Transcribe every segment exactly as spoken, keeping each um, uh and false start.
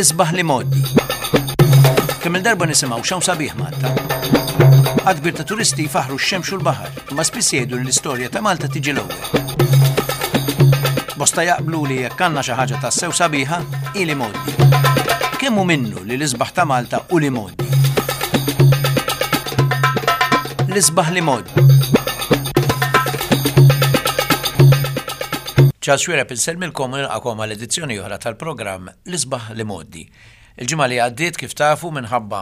L-isbaħ l-imgħoddi. Kemm il-darba nisimgħu x'hawn sabiħ Malta. Għadd kbir ta' turisti jfaħru x-xemx u l-baħar, imma spiss jgħidu li l-istorja ta' Malta tiġi l-ewwel. Bosta jaqblu li jekk għandna xi ħaġa tassew sabiħa, hi l-imgħoddi. Kemm hu minnu li l-isbaħ ta' Malta u l-imgħoddi? L-isbaħ l-imgħoddi. Charles Xuereb insellmilkom u nilqakom għal edizzjoni oħra tal-programm L-Isbaħ l-Imgħoddi. Il-ġimgħa li għaddiet kif tafu minħabba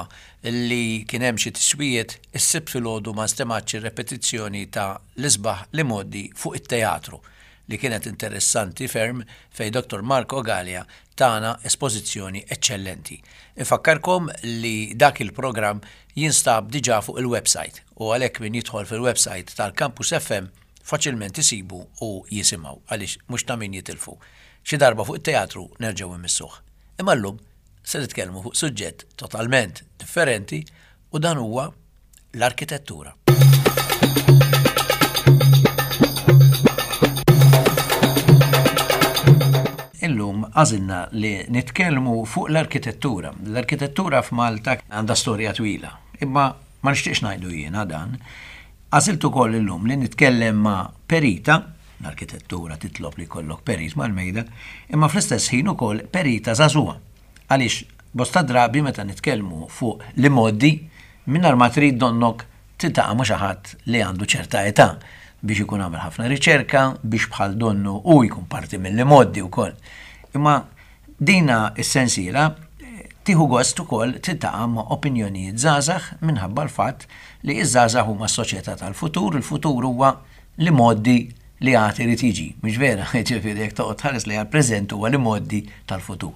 li kien hemm xi tiswijiet is-Sibt filgħodu ma nstemgħetx ir-repetizzjoni ta' L-Isbaħ l-Imgħoddi fuq it-teatru li kienet interessanti ferm fejn Dottor Marco Galea tana espożizzjoni eċċellenti. Infakkarkom li dak il-programm jinstab diġà fuq il-website u għalhekk min jidħol fil-website tal-Campus F M faċilment isibu u jisimgħu għaliex mhux ta' min jitilfu. Xi darba fuq it-teatru nerġgħu immissuh. Imma llum se nitkellmu fuq suġġett totalment differenti u dan huwa l-arkitettura. Illum għażilna li nitkellmu fuq l-arkitettura. L-arkitettura f'Malta għandha storja twila, imma ma nixtieqx ngħidu jiena dan. Għażilt ukoll illum li nitkellem ma' perita, l-arkitettura titlob li jkollok perit mal-mejda, imma fl-istess ħin ukoll perita żagħżugħa. Għaliex bosta drabi meta nitkellmu fuq l-imgħoddi, mingħajr ma trid donnok tiltaqa' ma' xi ħadd li għandu ċerta età biex ikun għamel ħafna riċerka, biex bħal donnu u jkun parti mill-imgħoddi wkoll. Imma dina s-sensiela tieħu gost ukoll tiltaqa' ma' opinjonijiet żgħażagħ minħabba l-fatt li ż-żgħażagħ huma s-soċjetà tal-futur, il-futur huwa l-imgħoddi li għad irid jiġi, mhux vera? Ġifieri jekk toqgħod tħares li għall-preżent huwa l-imgħoddi tal-futur.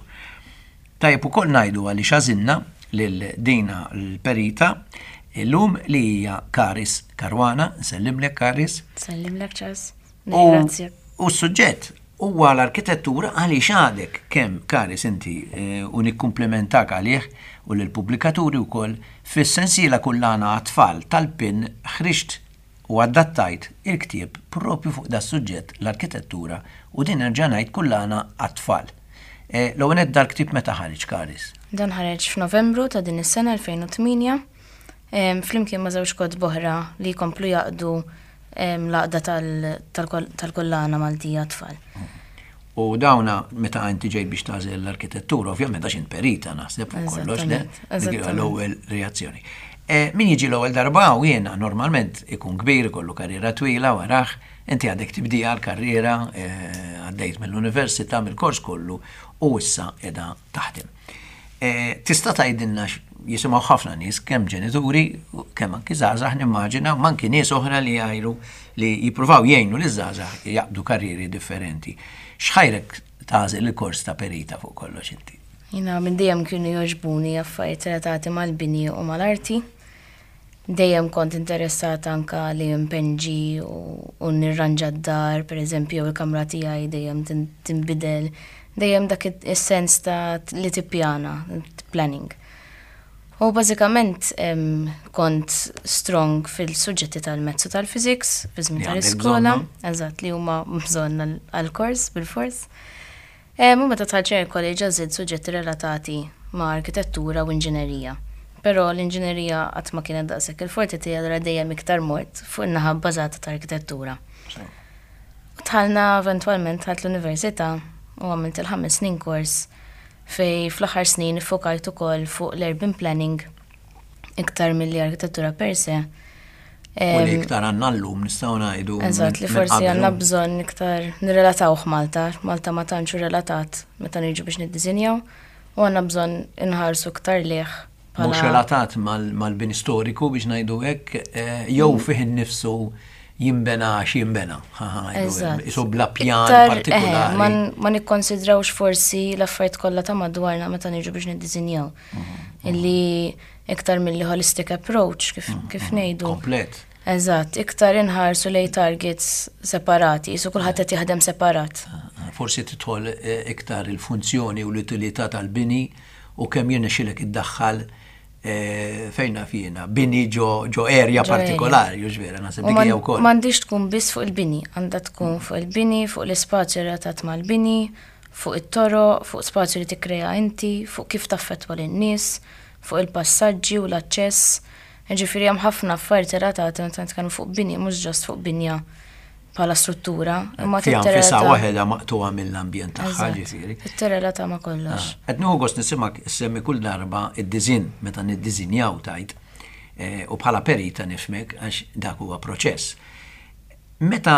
Tajjeb ukoll ngħidu għaliex għażilna lil dina l-perita illum li hija Karis Caruana. Nsellimlek Karis. Nsellimlek Charles. U Nirringrazzjak. U s-suġġett huwa l-arkitettura għaliex għadek kemm Karis inti, eh, u nikkumplimentak għalih u lill-pubblikaturi wkoll fis-sensiela kullana għat-tfal tal-PIN ħriġt u adattajt il-ktieb propju fuq da suġġett l-arkitettura u din nerġa' ngħid kullana għat-tfal. Eh, l-ewwel nett dal-ktieb meta ħareġ Karis? Dan ħareġ f'Novembru ta' din is-sena elfejn u tmienja, em, flimkien ma' żewġ kotba oħra li jkomplu jaqdu, em, l-għaqda tal-, tal-kol-, tal-kullana Maltija għat-tfal. U dawna meta inti ġejt biex tagħżel l-arkitettura, ovvjament għax int perita naħseb fuq kollox, le? Eżattament, Dik hija eżattament. l-ewwel reazzjoni. Eh, min jiġi l-ewwel darba u jiena normalment ikun kbir, ikollu karriera twila waraħ, inti għadek tibdija l-karriera, eh, għaddejt mill-università, mill-kors kollu u issa qiegħda taħdem. Eh, tista' tgħidilna x-, jisimgħu ħafna nies, kemm ġenituri, kemm anki żgħażagħ nimmaġina, ma anki nies oħra li jgħidu li jippruvaw jgħinu liż-żgħażagħ jaqbdu karrieri differenti. X'ħajrek tagħżel il-kors ta' perita fuq kollox inti? Jiena minn dejjem kienu jogħġbuni affarijiet relatati mal-bini u mal-arti. Dejjem kont interessata anka li npenġi u, u nirranġa d-dar, per eżempju, il-kamra tiegħi dejjem tin-, tinbidel. Dejjem dak it-, is-sens ta' li tippjana, planning. U bażikament, em, kont strong fil-suġġetti tal-mezzu tal-physics, fi żmien Li għandek tal-iskola. bżonnhom. Eżatt, li huma bżonn għal-, għall-kors bil-fors. Em, u meta dħalt il college għażilt suġġetti relatati ma' arkitettura u inġinerija. Però l-inġinerija qatt ma kienet daqshekk il-forti tiegħi, allura dejjem iktar mort fuq in-naħa bbażata ta' arkitettura. Sew. U dħalna eventwalment dħalt l-università u għamilt il-ħames snin kors fej fl-aħħar snin iffokajt ukoll fuq l-urban planning iktar milli arkitettura per se. U li Em, iktar għandna llum nistgħu ngħidu Eżatt, li minn forsi qabel. għandna bżonn iktar nirrelatawh Malta. Malta ma tantx hu relatat meta niġu biex niddisinjaw u għandna bżonn inħarsu iktar lih bħala Mhux relatat mal-, mal-bini storiku biex ngħidu hekk, eh, jew fih innifsu jimbena x'jimbena. Ha, ha, ngħidu hekk. Eżatt. Isu bla pjan Iktar, eh, partikolari. ma n-, ma nikkonsidrawx forsi l-affarijiet kollha ta' madwarna meta niġu biex niddisinjaw. Mhm. Illi iktar milli holistic approach kif, Mhm. kif ngħidu. Komplet. Eżatt, iktar inħarsu lej targets separati, jisu kulħadd qed jaħdem separat. Ah, forsi tidħol, eh, iktar il-funzjoni u l-utilità tal-bini u kemm jirnexxilek iddaħħal, eh, fejn naf jiena, bini ġo, ġo area Ġo area. partikolari, hux vera, naħseb U dik man- hija wkoll. M'għandix tkun biss fuq il-bini, għandha tkun fuq il-bini, fuq l-ispazju relatat mal-bini, Fuq it-toroq, fuq spazju li tikkrea inti, fuq kif taffettwa lin-nies, fuq il-passaġġi u l-aċċess. Ġifieri hemm ħafna affarijiet relatati meta nitkellmu fuq bini, mhux just fuq binja bħala struttura, imma Fiha nfisha tirrelata. waħedha maqtugħa mill-ambjent tagħha, Eżatt. ġifieri. Tirrelata ma' kollox. Qed nieħu gost nisimgħek semmi kull darba id-disinn meta niddisinjaw tajt eh, u bħala perita nifhmek għax dak huwa proċess. Meta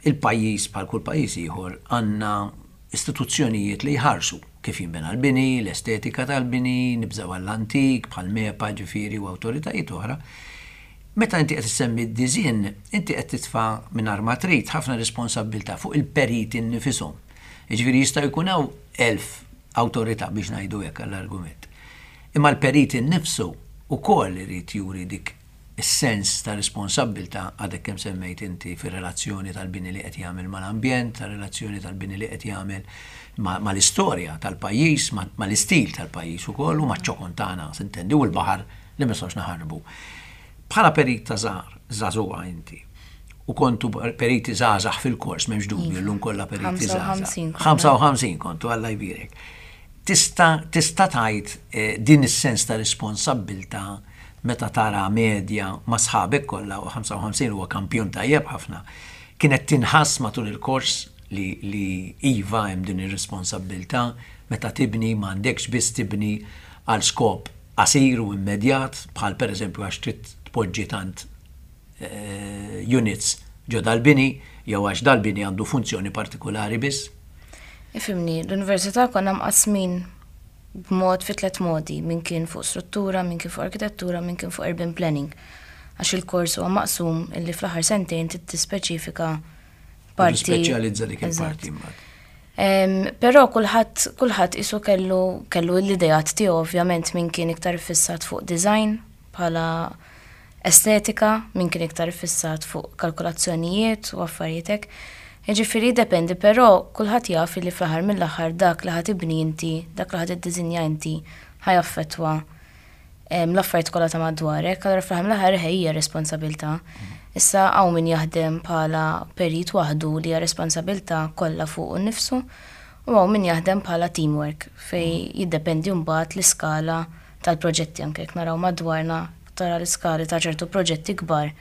il-pajjiż, bħal kull pajjiż ieħor, għandna istituzzjonijiet li jħarsu kif jinbena l-bini, l-estetika tal-bini, nibżaw għall-antik, bħal MEPA, ġifieri, u awtoritajiet oħra. Meta inti qed issemmi d-disinn, inti qed titfa' mingħajr ma trid ħafna responsabbiltà fuq il-periti nnifisom. Jiġifieri jista' jkun hawn elf awtorità, biex ngħidu hekk għall-argument. Imma l-periti nnifsu ukoll irid juri dik is-sens ta' responsabbiltà, għadek kemm semmejt inti, fir-relazzjoni tal-bini li qed jagħmel mal-ambjent, tar-relazzjoni tal-bini li qed jagħmel mal-istorja tal-pajjiż, mal-istil tal-pajjiż ukoll u maċ-ċokon tagħna, s'intendi, u l-baħar li ma nistgħux naħarbu. Bħala perit ta' żgħar, żagħżugħa inti, u kontu periti żgħażagħ fil-kors, m'hemmx dubju, llum kollha periti żgħażagħ. ħamsa u ħamsin. ħamsa u ħamsin kontu, Alla jbierek. Tista' tista' tgħid eh, din is-sens ta' responsabbiltà meta tara medja ma' sħabek kollha, u ħamsa u ħamsin huwa kampjun tajjeb ħafna, kienet tinħass matul il-kors li, li iva, hemm din ir-responsabbiltà meta tibni, m'għandekx biss tibni għal skop qasir u immedjat, bħal pereżempju għax trid tpoġġi tant eh, units ġo dal-bini jew għax dal-bini għandu funzjoni partikolari biss? Ifhimni, l-università konna mqasmin b'mod fi tliet modi, min kien fuq struttura, min kien fuq arkitettura, min kien fuq urban planning. Għax il-kors huwa maqsum illi fl-aħħar sentejn trid tispeċifika parti. Speċjalizza dik Eżatt. il-parti imbagħad. Em, Però kulħadd kulħadd isu kellu kellu l-idejat tiegħu, ovvjament, min kien iktar fissat fuq design bħala estetika, min kien iktar fissat fuq kalkolazzjonijiet u affarijiet hekk. Jiġifieri dependi, però kulħadd jaf li fl-aħħar mill-aħħar dak li ħa tibni inti, dak li ħa tiddisinja inti, ħa jaffettwa em, l-affarijiet kollha ta' madwarek, allura fl-aħħar mill-aħħar hija responsabilità. Issa hawn min jaħdem bħala perit waħdu li hija responsabilità kollha fuq innifsu u hawn min jaħdem bħala teamwork, fej jiddependi mbagħad l-iskala tal-proġetti. Anke jekk naraw madwarna, tara l-iskali ta' ċertu proġetti kbar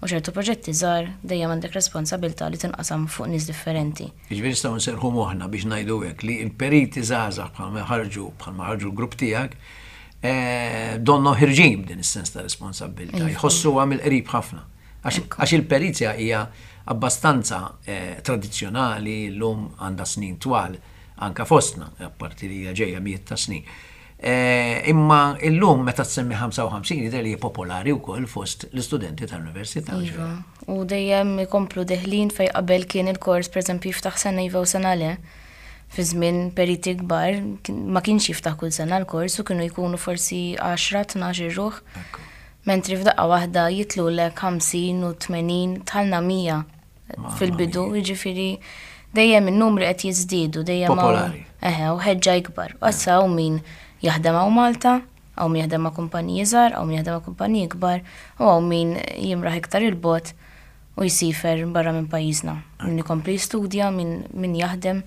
u ċertu proġetti żgħar, dejjem għandek responsabilità li tinqasam fuq nies differenti. Jiġifieri nistgħu nserħu moħħna, biex ngħidu hekk, li l-periti żgħażagħ bħalma ħarġu bħalma ħarġu l-grupp tiegħek eh, donnu ħerġin b'din is-sens ta' responsabbiltà, Iva. jħossuha mill-qrib ħafna. Għax għax il-perizja hija abbastanza eh, tradizzjonali, llum għandha snin twal anka fostna, apparti li hija ġejja mijiet ta' snin. Eh, imma illum meta tsemmi ħamsa u ħamsin jidher li hija popolari wkoll fost l-istudenti tal-università. Iva. U dejjem ikomplu deħlin, fej qabel kien il-kors pereżempju jiftaħ sena iva u sena le. Fi żmien periti kbar kien- ma kienx jiftaħ kull sena l-kors u kienu jkunu forsi għaxra, tnax ruħ. Ekku. Mentri f'daqqa waħda jitilgħulek ħamsin u tmenin, tlajna mija Mamma fil-bidu, mia. jiġifieri dejjem in-numri qed jiżdiedu, dejjem hawn- Popolari. Eħe, u ħeġġa ikbar. U issa hawn min jaħdem hawn Malta, hawn min jaħdem ma' kumpaniji żgħar, hawn min jaħdem ma' kumpaniji kbar, u hawn min jimraħ iktar il-bogħod u jsifer barra minn pajjiżna. Min ikompli jistudja, min, min jaħdem,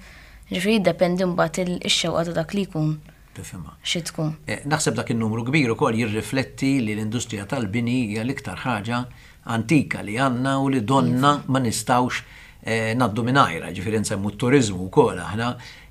ġifieri jiddependi mbagħad il- ix-xewqa ta' dak li jkun Tifhimha. xi tkun. Eh, Naħseb dak il-numru kbir ukoll jirrifletti li l-industrija tal-bini hija l-iktar ħaġa antika li għandna u li donna ma nistgħux eh, ngħaddu mingħajrha, ġifieri nsemmu t-turizmu wkoll aħna,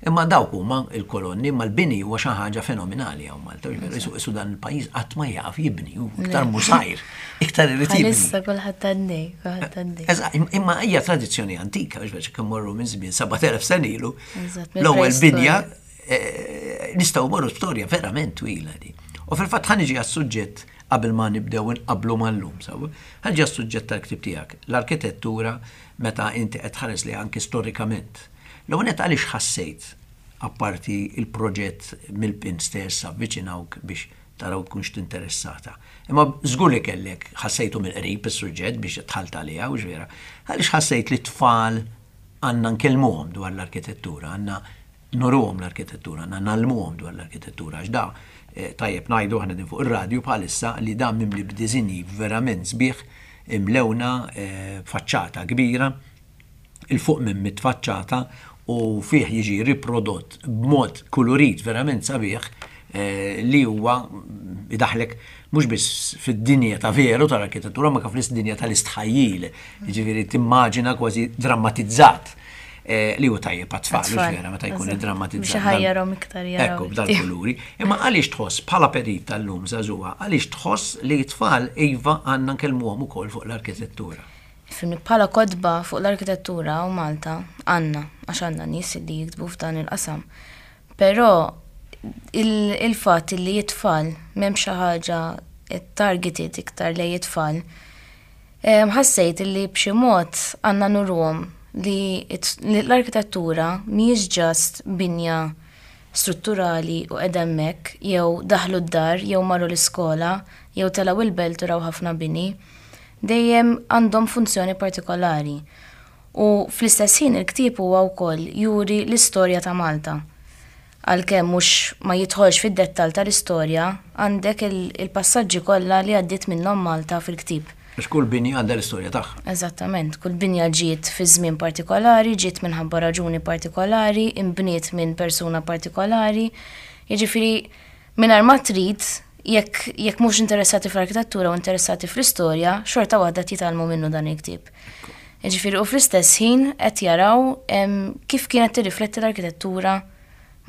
imma dawk huma il-kolonni, imma l-bini huwa xi ħaġa fenomenali hawn Malta. Ġifieri isu isu dan il-pajjiż qatt ma jaf jibni, u iktar musajr, iktar irid jibni. Bħalissa kulħadd għaddej, kulħadd għaddej. Eżatt, imma hija tradizzjoni antika, biex kemm morru minn żmien sebat elef sena ilu, Eżatt, l-ewwel mill-preistorja. binja eh, nistgħu morru storja verament twila di. U fil-fatt ħa niġi għas-suġġett qabel ma nibdew inqablu mal-lum, sawa. Ħa niġi għas-suġġett tal-ktib tiegħek, l-arkitettura meta inti qed tħares li anki storikament. L-ewwel nett, għaliex ħassejt, apparti il-proġett mill-PIN stess avviċinawk biex taraw tkunx tinteressata? Imma żgur li kellek ħassejtu mill-qrib is-suġġett biex dħalt għaliha, u vera. Għaliex ħassejt li tfal għandna nkellmuhom dwar l-arkitettura, għandna nuruhom l-arkitettura, għandna ngħallmuhom dwar l-arkitettura, għax da eh, tajjeb ngħidu aħna din fuq ir-radju bħalissa li dan mimli b'diżinji verament sbieħ, imlewna eh, faċċata kbira, 'il fuq minn mitt faċċata. U fih jiġi riprodott b'mod kulurit verament sabiħ eh, li huwa idaħlek mhux biss fid-dinja ta' veru tal-arkitettura, ma kif dinja tal-istħajjil, jiġifieri timmaġina kważi drammatizzat eh, li huwa tajjeb għat-tfal, mhux vera, meta jkun iddrammatizzat. Biex iħajjarhom iktar jaraw. Ekku, b'dal-kuluri. Imma għaliex tħoss bħala perit tal-lum żagħżugħa, għaliex tħoss li t-tfal iva għandna nkellmuhom ukoll fuq l-arkitettura? Ifhimni, bħala kotba fuq l-arkitettura u Malta għandna, għax għandna nies li jiktbu f'dan il-qasam. Però il-fatt li it-tfal m'hemm xi ħaġa targeted iktar lejn it-tfal, ħassejt li b'xi mod għandna nuruhom li l-arkitettura mhijiex just binja strutturali u qiegħda hemmhekk, jew daħlu d-dar, jew marru l-iskola, jew telgħu il-belt u raw ħafna bini. Dejjem għandhom funzjoni partikolari. U fl-istess ħin il-ktieb huwa wkoll juri l-istorja ta' Malta. Għalkemm mhux ma jidħolx fid-dettall tal-istorja, għandek il-passaġġi kollha li għaddiet minnhom Malta fil-ktieb. Għax kull binja għandha l-istorja tagħha. Eżattament, kull binja ġiet fi żmien partikolari, ġiet minħabba raġuni partikolari, imbniet minn persuna partikolari. Jiġifieri mingħajr ma trid, jekk jekk mhux interessati fl-arkitettura u interessati fl-istorja, xorta waħda jitgħallmu minnu dan il-ktieb. Jiġifieri u fl-istess ħin qed jaraw kif kienet tirrifletti l-arkitettura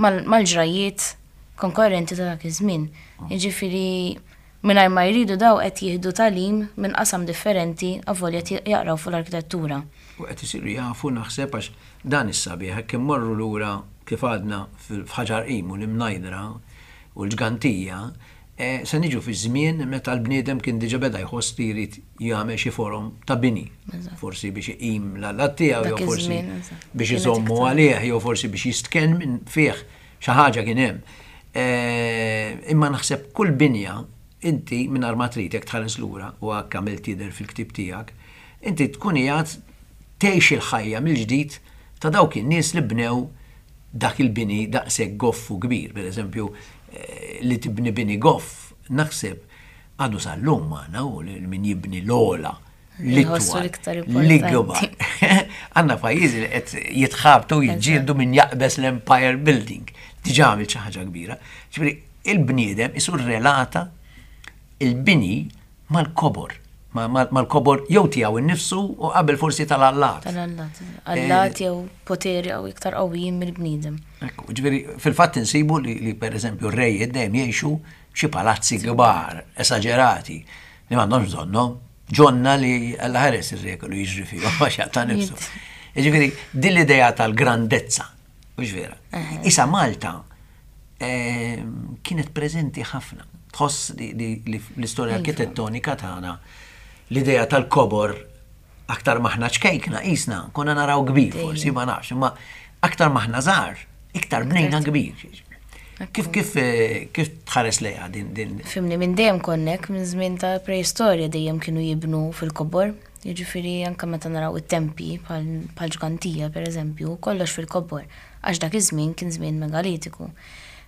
mal-ġrajiet konkorrenti ta' dak iż-żmien. Jiġifieri mingħajr ma jridu daw qed jieħdu tagħlim minn qasam differenti avolja jaqraw fuq l-arkitettura. U qed isiru jafu, naħseb, għax dan is-sabiħ, hekk immorru lura kif għadna f'Ħaġar Qim u l-Imnajdra u l-Ġgantija, eh, se niġu fi żmien meta l-bniedem kien diġà beda jħoss li jrid jagħmel xi forom ta' bini. Forsi biex iqim l-allat tiegħu, jew forsi biex iżommu għalih, jew forsi biex jistken minn fih, xi ħaġa kien hemm. Eh, imma naħseb kull binja inti minn ma trid, jekk tħares lura u hekk għamilt jidher fil-ktieb tiegħek, inti tkun qiegħed tgħix il-ħajja mill-ġdid ta' dawk in-nies li bnew dak il-bini daqshekk goff u kbir. Per eżempju, eh, li tibni bini goff, naħseb għadu sal-lum magħna u li min jibni l-ogħla, l-ikbar. L-ikbar. Għandna pajjiżi li qed jitħabtu, jiġġieldu min jaqbeż l-Empire Building. Diġà għamil xi ħaġa kbira. Ġifieri il-bniedem isu relata il-bini mal-kobor. Mal-kobor jew tiegħu innifsu u qabel forsi tal-allat. Tal-allat. Allat jew poteri jew iktar qawwijin mill-bniedem. Ekku, ġifieri fil-fatt insibu li, li per eżempju r-rejiet dejjem jgħixu xi palazzi kbar, esaġerati, li m'għandhomx bżonnhom, ġonna li Alla ħares ir-re kellu jiġri fihom għax jaqta' nifsu. Ġifieri din l-idea tal-grandezza, mhux vera? Isa Malta eh, kienet preżenti ħafna. Tħoss li, li, li l-istorja arkitettonika tagħna l-idea tal-kobor, aktar maħna ċkejkna isna, konna naraw kbir forsi, ma nafx, imma aktar maħna żgħar, iktar bnejna kbir. Kif kif eh, kif tħares lejha din din? Ifhimni, minn dejjem konnek, minn żmien ta' preistorja dejjem kienu jibnu fil-kobor. Jiġifieri anke meta naraw it-tempi bħal Ġgantija per eżempju, kollox fil-kobor, għax dak iż-żmien kien żmien megalitiku.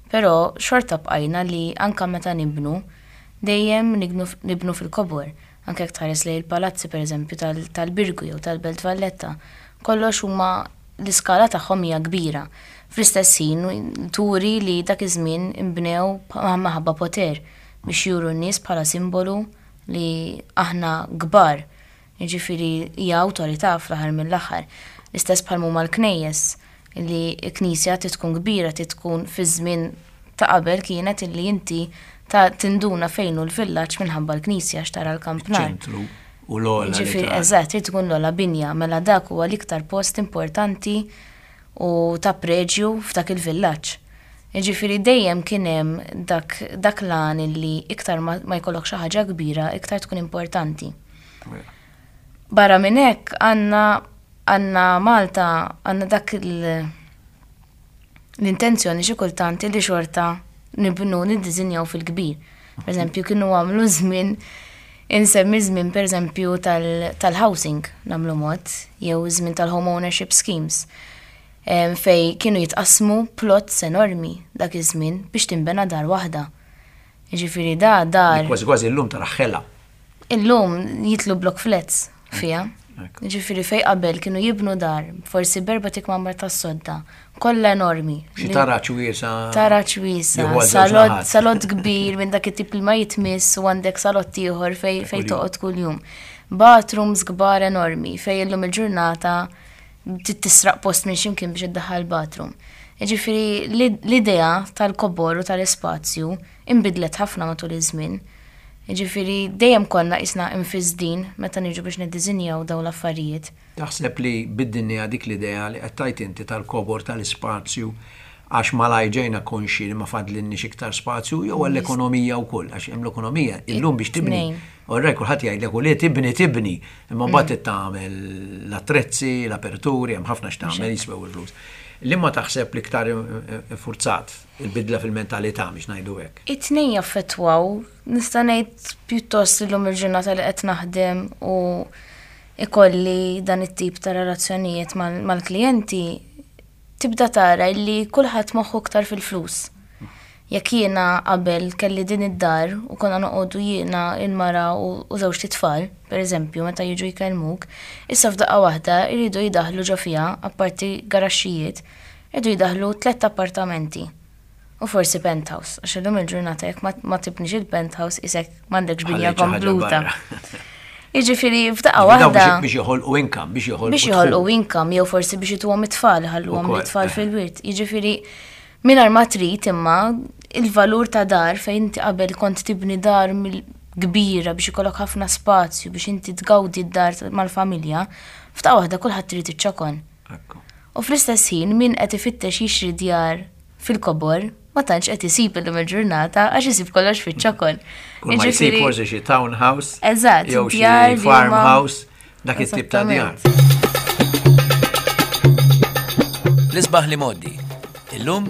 Però xorta bqajna li anke meta nibnu, dejjem nibnu fil-kobor. Anke jekk tħares lejn il-palazzi per eżempju tal-Birgu jew tal-Belt Valletta, kollox huma l-iskala tagħhom hija kbira. Fl-istess ħin turi li dak iż-żmien inbnew maħabba poter biex juru n-nies bħala simbolu li aħna kbar. Jiġifieri hija awtorità fl-aħħar mill-aħħar. L-istess bħal huma l-knejjes, li knisja trid tkun kbira, trid tkun fi żmien ta' qabel kienet illi inti ta' tinduna fejn hu l-villaġġ minħabba l-knisja, x'tara l-kampnar. Ċentru u l-ogħla. Ġifieri eżatt, trid tkun l-ogħla binja, mela dak huwa l-iktar post importanti u ta' preġju f'dak il-villaġġ. Jiġifieri dejjem kien hemm dak, dak l-għan illi iktar ma, ma jkollok xi ħaġa kbira, iktar tkun importanti. Barra minn hekk għandna għandna Malta għandna dak il- l-intenzjoni xi kultant li xorta nibnu, niddiżinjaw fil-kbir. Per eżempju, kienu għamlu żmien, insemmi żmien per eżempju tal-housing nagħmlu mod, jew żmien tal-home ownership schemes, fej kienu jitqasmu plots enormi dak iż-żmien biex tinbena dar waħda. Jiġifieri da dar. Kważi kważi llum tara ħela. Illum jitlu block flats fiha. Ġifieri fej qabel kienu jibnu dar, forsi b'erbat ikmamar tas-sodda, kollha enormi. Xi taraġ wiesa'. Taraġ wiesa', salott, salott kbir minn dak it-tip li ma jitmiss u għandek salott ieħor fej fej toqgħod kuljum. Bathrooms kbar enormi fej illum il-ġurnata tisraq post minn x'imkien biex iddaħħal bathroom. Ġifieri l-idea tal-kobor u tal-ispazju imbidlet ħafna matul iż-żmien. Ġifieri dejjem konna qisna imfissdin meta niġu biex niddiżinjaw dawn l-affarijiet. Taħseb li biddilnieha dik l-idea li qed tgħid inti tal-kobor tal-ispazju għax malajr ġejna konxi li ma fadlinniex iktar spazju jew għall-ekonomija wkoll, għax hemm l-ekonomija illum biex tibni. Orrej kulħadd jgħidlek u li tibni tibni, imma mbagħad tagħmel l-attrezzi, l-aperturi, hemm ħafna x'tagħmel jiswew il-flus. Liema taħseb li iktar forzat il-bidla fil-mentalità biex ngħidu hekk? It-tnejn jaffettwaw, nista' ngħid pjuttost illum il-ġurnata li qed naħdem u ikolli dan it-tip ta' relazzjonijiet mal-klijenti, tibda tara li kulħadd moħħu iktar fil-flus. Jekk jiena qabel kelli din id-dar u konna noqogħdu jiena il-mara u żewġt itfal, per eżempju, meta jiġu jkellmuk, issa f'daqqa waħda jridu jidaħlu ġo fiha, apparti garaxxijiet, jridu jidaħlu tliet appartamenti. U forsi penthouse, għax illum il-ġurnata jekk ma tibnix il-penthouse isek m'għandekx binja kompluta. Jiġifieri f'daqqa waħda. Biex joħolqu income, biex joħolqu. Biex joħolqu income, jew forsi biex ituhom it-tfal, ħalluhom it-tfal fil-wirt. Jiġifieri mingħajr ma trid imma il-valur ta' dar fejn inti qabel kont tibni dar kbira biex ikollok ħafna spazju biex inti tgawdi d-dar mal-familja, f'daqqa waħda kulħadd irid iċ-ċokon. U fl-istess ħin min qed ifittex jixtri djar fil-kobor ma tantx qed isib illum il-ġurnata għax isib kollox fiċ-ċokon. Kull ma jsib forsi xi townhouse. Eżatt, jew xi farmhouse, dak it-tip ta' djar. L-isbaħ l-imgħoddi. Illum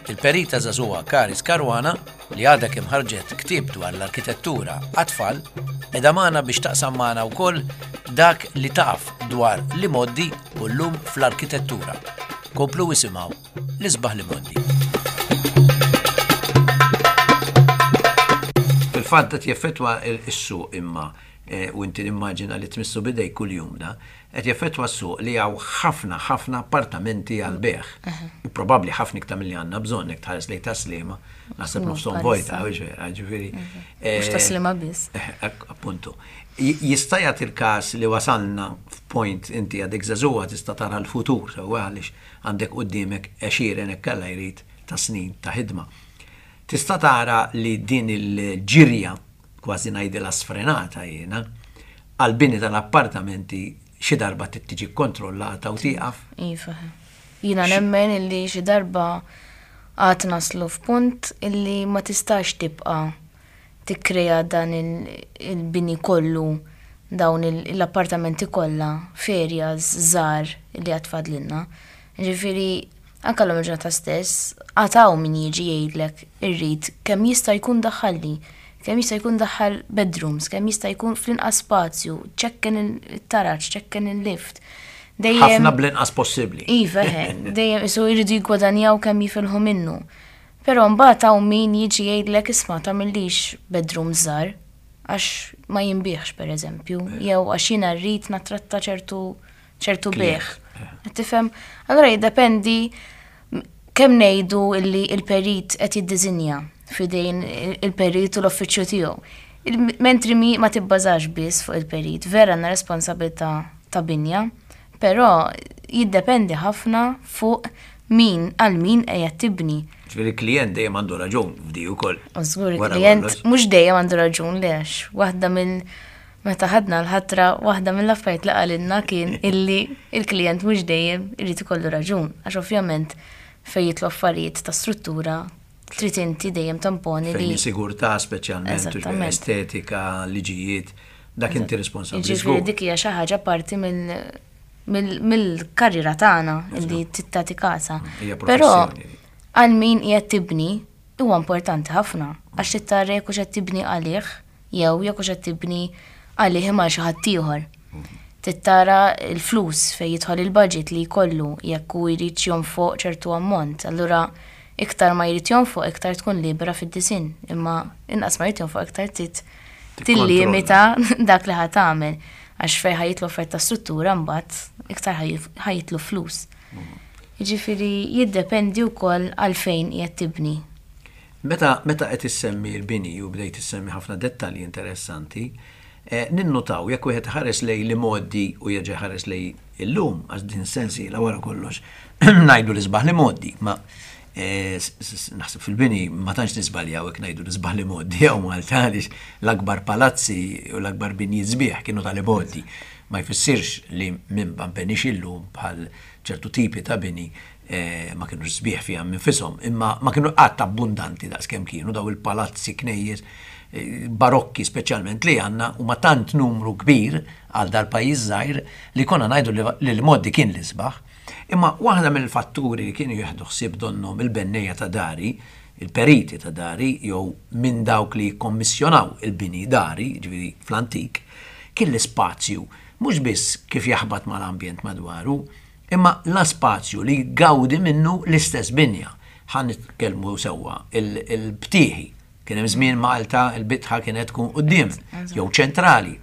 il-perita żagħżugħa Karis Caruana li għadha kemm ħarġet ktieb dwar l-arkitettura għat-tfal qiegħda magħna biex taqsam magħna wkoll dak li taf dwar l-imgħoddi u llum fl-arkitettura. Komplu isimgħu l-isbaħ l-imgħoddi. Fil-fatt qed jeffettwa s-suq imma u inti nimmaġina li tmissu bidej kuljum da, qed jeffettwa s-suq li hawn ħafna ħafna appartamenti għal bejgħ. U probabbli ħafna iktar milli għandna bżonn jekk tħares lejn Tas-Sliema, naħseb nofshom vojta, vera, ġifieri. Mhux Tas-Sliema biss. Appuntu. Jista' jagħti l-każ li wasalna f'point inti għadek żagħżugħa tista' tara l-futur, sewwa għaliex għandek quddiemek għexieren hekk Alla jrid ta' snin ta' ħidma. Tista' tara li din il-ġirja, kważi ngħidilha sfrenata jiena, għall-bini tal-appartamenti xi darba trid tiġi kkontrollata u tieqaf? Iva. Jiena nemmen illi xi darba għad naslu f'punt illi ma tistax tibqa' tikkrea dan il-bini kollu, dawn l-appartamenti kollha f'areas żgħar li għad fadlilna. Ġifieri anke l-lum il-ġurnata stess, għad hawn min jiġi jgħidlek irrid kemm jista' jkun daħħalli, kemm jista' jkun daħħal bedrooms, kemm jista' jkun fl-inqas spazju, ċekken il-taraġ, ċekken il-lift. Ħafna bl-inqas possibbli. Iva, dejjem isu jridu jiggwadanjaw kemm jifilħu minnu. Però mbagħad hawn min jiġi jgħidlek isma' tagħmillix bedrooms żgħar għax ma jinbiegħx pereżempju, jew għax jiena rrid nattratta ċertu ċertu bejgħ. Qed tifhem? Allura jiddependi kemm ngħidu illi il-perit qed jiddiżinja f'idejn il-perit u l-uffiċċju tiegħu. Mentri mi ma tibbażax biss fuq il-perit, vera għandna responsabilità ta' binja, però jiddependi ħafna fuq min għal min qiegħed tibni. Ġifieri il-klijent dejjem għandu raġun f'di wkoll. Żgur il-klijent mhux dejjem għandu raġun le għax waħda mill meta ħadna l-ħatra waħda mill-affarijiet li qalilna kien illi il-klijent mhux dejjem irid ikollu raġun għax ovvjament fejn jidħlu affarijiet ta' struttura trid inti dejjem tamponi li. Fejn sigurtà speċjalment, estetika, liġijiet, dak inti responsabbli. Ġifieri dik hija xi ħaġa parti mill-karriera tagħna illi tagħti kasha. Però għal min qiegħed tibni huwa importanti ħafna għax trid tara jekk hux qed tibni għalih jew jekk hux qed tibni għalih imma xi ħadd ieħor. Trid tara l-flus fejn jidħol il-budget li jkollu jekk hu jrid jonfoq ċertu ammont. Allura iktar ma jrid jonfoq iktar tkun libera fid-disinn, imma inqas ma jrid jonfoq iktar trid tillimita dak li ħa tagħmel. Għax fejn ħa jidħlu affarijiet ta' struttura mbagħad iktar ħa jidħlu flus. Jiġifieri jiddependi wkoll għalfejn qiegħed tibni. Meta meta qed issemmi l-bini u bdejt issemmi ħafna dettalji interessanti, eh, ninnotaw jekk wieħed ħares lejn l-imgħoddi u jerġa' ħares lejn illum, għax din sensiela wara kollox ngħidu l-isbaħ l-imgħoddi, ma eh, naħseb fil-bini ma tantx nisbaljaw jekk ngħidu l-isbaħ l-imgħoddi jew Malta għaliex l-akbar palazzi u l-akbar binji sbieħ kienu tal-imgħoddi. Ma jfissirx li minn ma nbenix illum bħal ċertu tipi ta' bini eh, ma kienu sbieħ fiha minfishom, imma ma kienu qatt abbundanti daqs kemm kienu daw il-palazzi knejjes eh, barokki speċjalment li għandna u ma tant numru kbir għal dal-pajjiż żgħir li konna ngħidu li l-imgħoddi kien l-isbaħ. Imma waħda mill-fatturi li kienu jieħdu ħsieb donnhom il-bennejja ta' dari, il-periti ta' dari, jew minn dawk li jikkommissjonaw il-bini dari, ġifieri fl-antik, kien l-ispazju mhux biss kif jaħbat mal-ambjent madwaru, imma l-spazju li gawdi minnu l-istess binja. Ħa nitkellmu sewwa il-btieħi. Kien hemm żmien Malta il-bitħa kienet tkun quddiem jew ċentrali.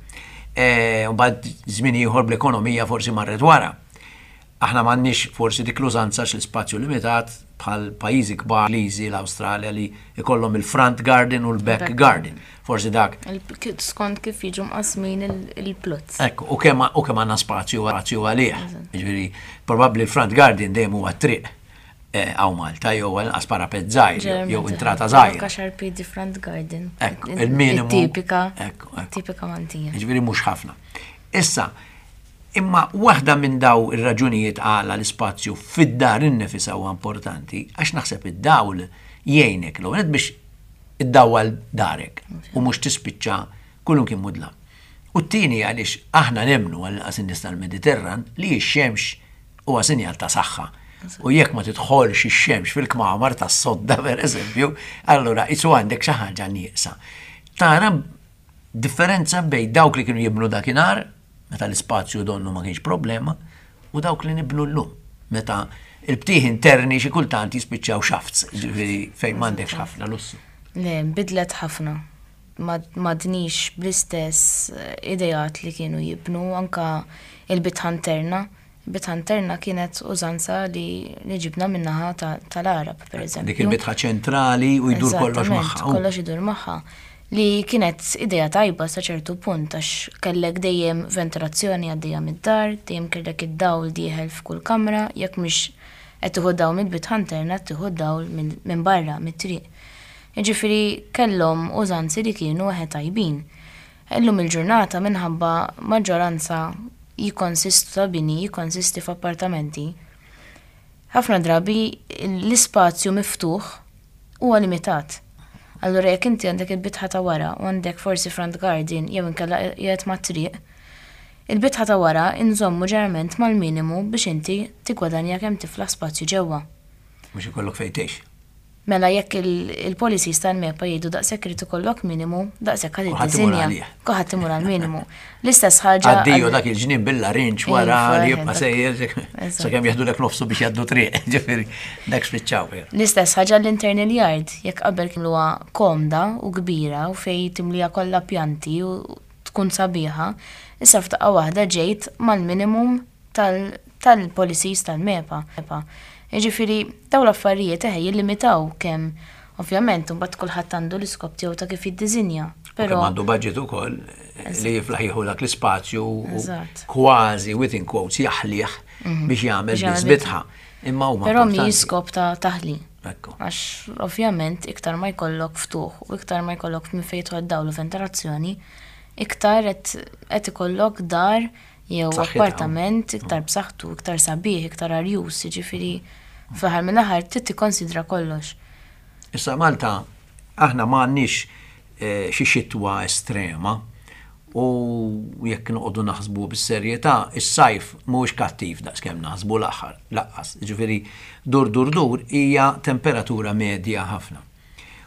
E, u bad żmien ieħor bl-ekonomija forsi marret wara. Aħna m'għandniex forsi dik l-użanza l-ispazju limitat bħal pajjiżi kbar, Ingliżi, l-Awstralja li ikollhom il-front garden u l-back garden. Forsi dak. Skont kif jiġu mqasmin il-plots. Ekku, u kemm u kemm għandna spazju spazju għalih. Jiġifieri probabbli l-front garden dejjem huwa triq hawn Malta jew għal parapet żgħir jew intrata żgħira. Għaxar piedi front garden. Ekku, il-minimu. Tipika. Ekku, Tipika Maltija. Jiġifieri mhux ħafna. Issa, imma waħda minn daw ir-raġunijiet għala l-ispazju fid-dar innifisha huwa importanti, għax naħseb id-dawl jgħinek l biex iddawwal darek u mhux tispiċċa kullum kien mudlam. U t-tieni għaliex aħna nemmnu għal in-nies tal-Mediterran li x-xemx huwa sinjal ta' saħħa. U jekk ma tidħolx ix-xemx fil-kmamar tas-sodda per eżempju, allura isu għandek xi ħaġa nieqsa. Tara differenza bejn dawk li kienu jibnu dakinhar, meta l-ispazju donnu ma kienx problema, u dawk li nibnu llum, meta il-btieħ interni xi kultant jispiċċaw shafts, ġifieri fejn m'għandekx ħafna lussu. Le, bidlet ħafna. M'għadniex bl-istess ideat li kienu jibnu anka il-bitħa interna. Il-bitħa interna kienet użanza li li ġibna min-naħa tal-Arab, per eżempju. Dik il-bitħa ċentrali u jdur kollox magħha. Kollox idur magħha. Li kienet idea tajba sa ċertu punt għax kellek dejjem ventilazzjoni għaddejja mid-dar, dejjem kellek id-dawl dieħel f'kull kamra, jekk mhux qed tieħu dawl mill-bitħa interna tieħu dawl minn barra mit-triq. Jiġifieri kellhom użanzi li kienu eħe tajbin. Illum il-ġurnata minħabba maġġoranza jikkonsistu ta' bini, jikkonsisti f'appartamenti. Ħafna drabi l-ispazju miftuħ huwa limitat. Allura jekk inti għandek il-bitħa ta' wara u għandek forsi front garden jew inkella qiegħed mat-triq, il-bitħa ta' wara inżommu ġeneralment mal-minimu biex inti tiggwadanja kemm tiflaħ spazju ġewwa. Biex ikollok fejn tgħix. Mela jekk il-policies tal-MEPA jgħidu daqshekk irid ikollok minimu, daqshekk ħadd iddisinja. Kulħadd imur għall-minimu. L-istess ħaġa. Addio dak il-ġnien bil-larinġ wara li jibqa' sejjer sakemm jeħdulek nofsu biex jgħaddu triq, ġifieri dak spiċċaw. L-istess ħaġa l-internal yard, jekk qabel kienluha komda u kbira u fejn timlija kollha pjanti u tkun sabiħa, issa f'daqqa waħda ġejt mal-minimum tal-policies tal-MEPA. Jiġifieri dawn l-affarijiet eħe jillimitaw kemm ovvjament imbagħad kulħadd għandu l-iskop tiegħu ta' kif jiddisinja. Però għandu budget ukoll li jiflaħ jieħu dak l-ispazju kważi within quotes jaħlih biex jagħmel biss bitħa. Imma huma Però mi skop ta' taħli. Għax ovvjament iktar ma jkollok ftuħ u iktar ma jkollok minn fejn tidħol dawl u ventilazzjoni, iktar qed ikollok dar jew appartament iktar b'saħħtu, iktar sabiħ, iktar arjus, jiġifieri fl-aħħar mill-aħħar trid tikkonsidra kollox. Issa Malta aħna m'għandniex xi xitwa estrema u jekk noqogħdu naħsbu bis-serjetà, is-sajf mhuwiex kattiv daqskemm naħsbu l-aħħar lanqas. Jiġifieri dur dur dur hija temperatura medja ħafna.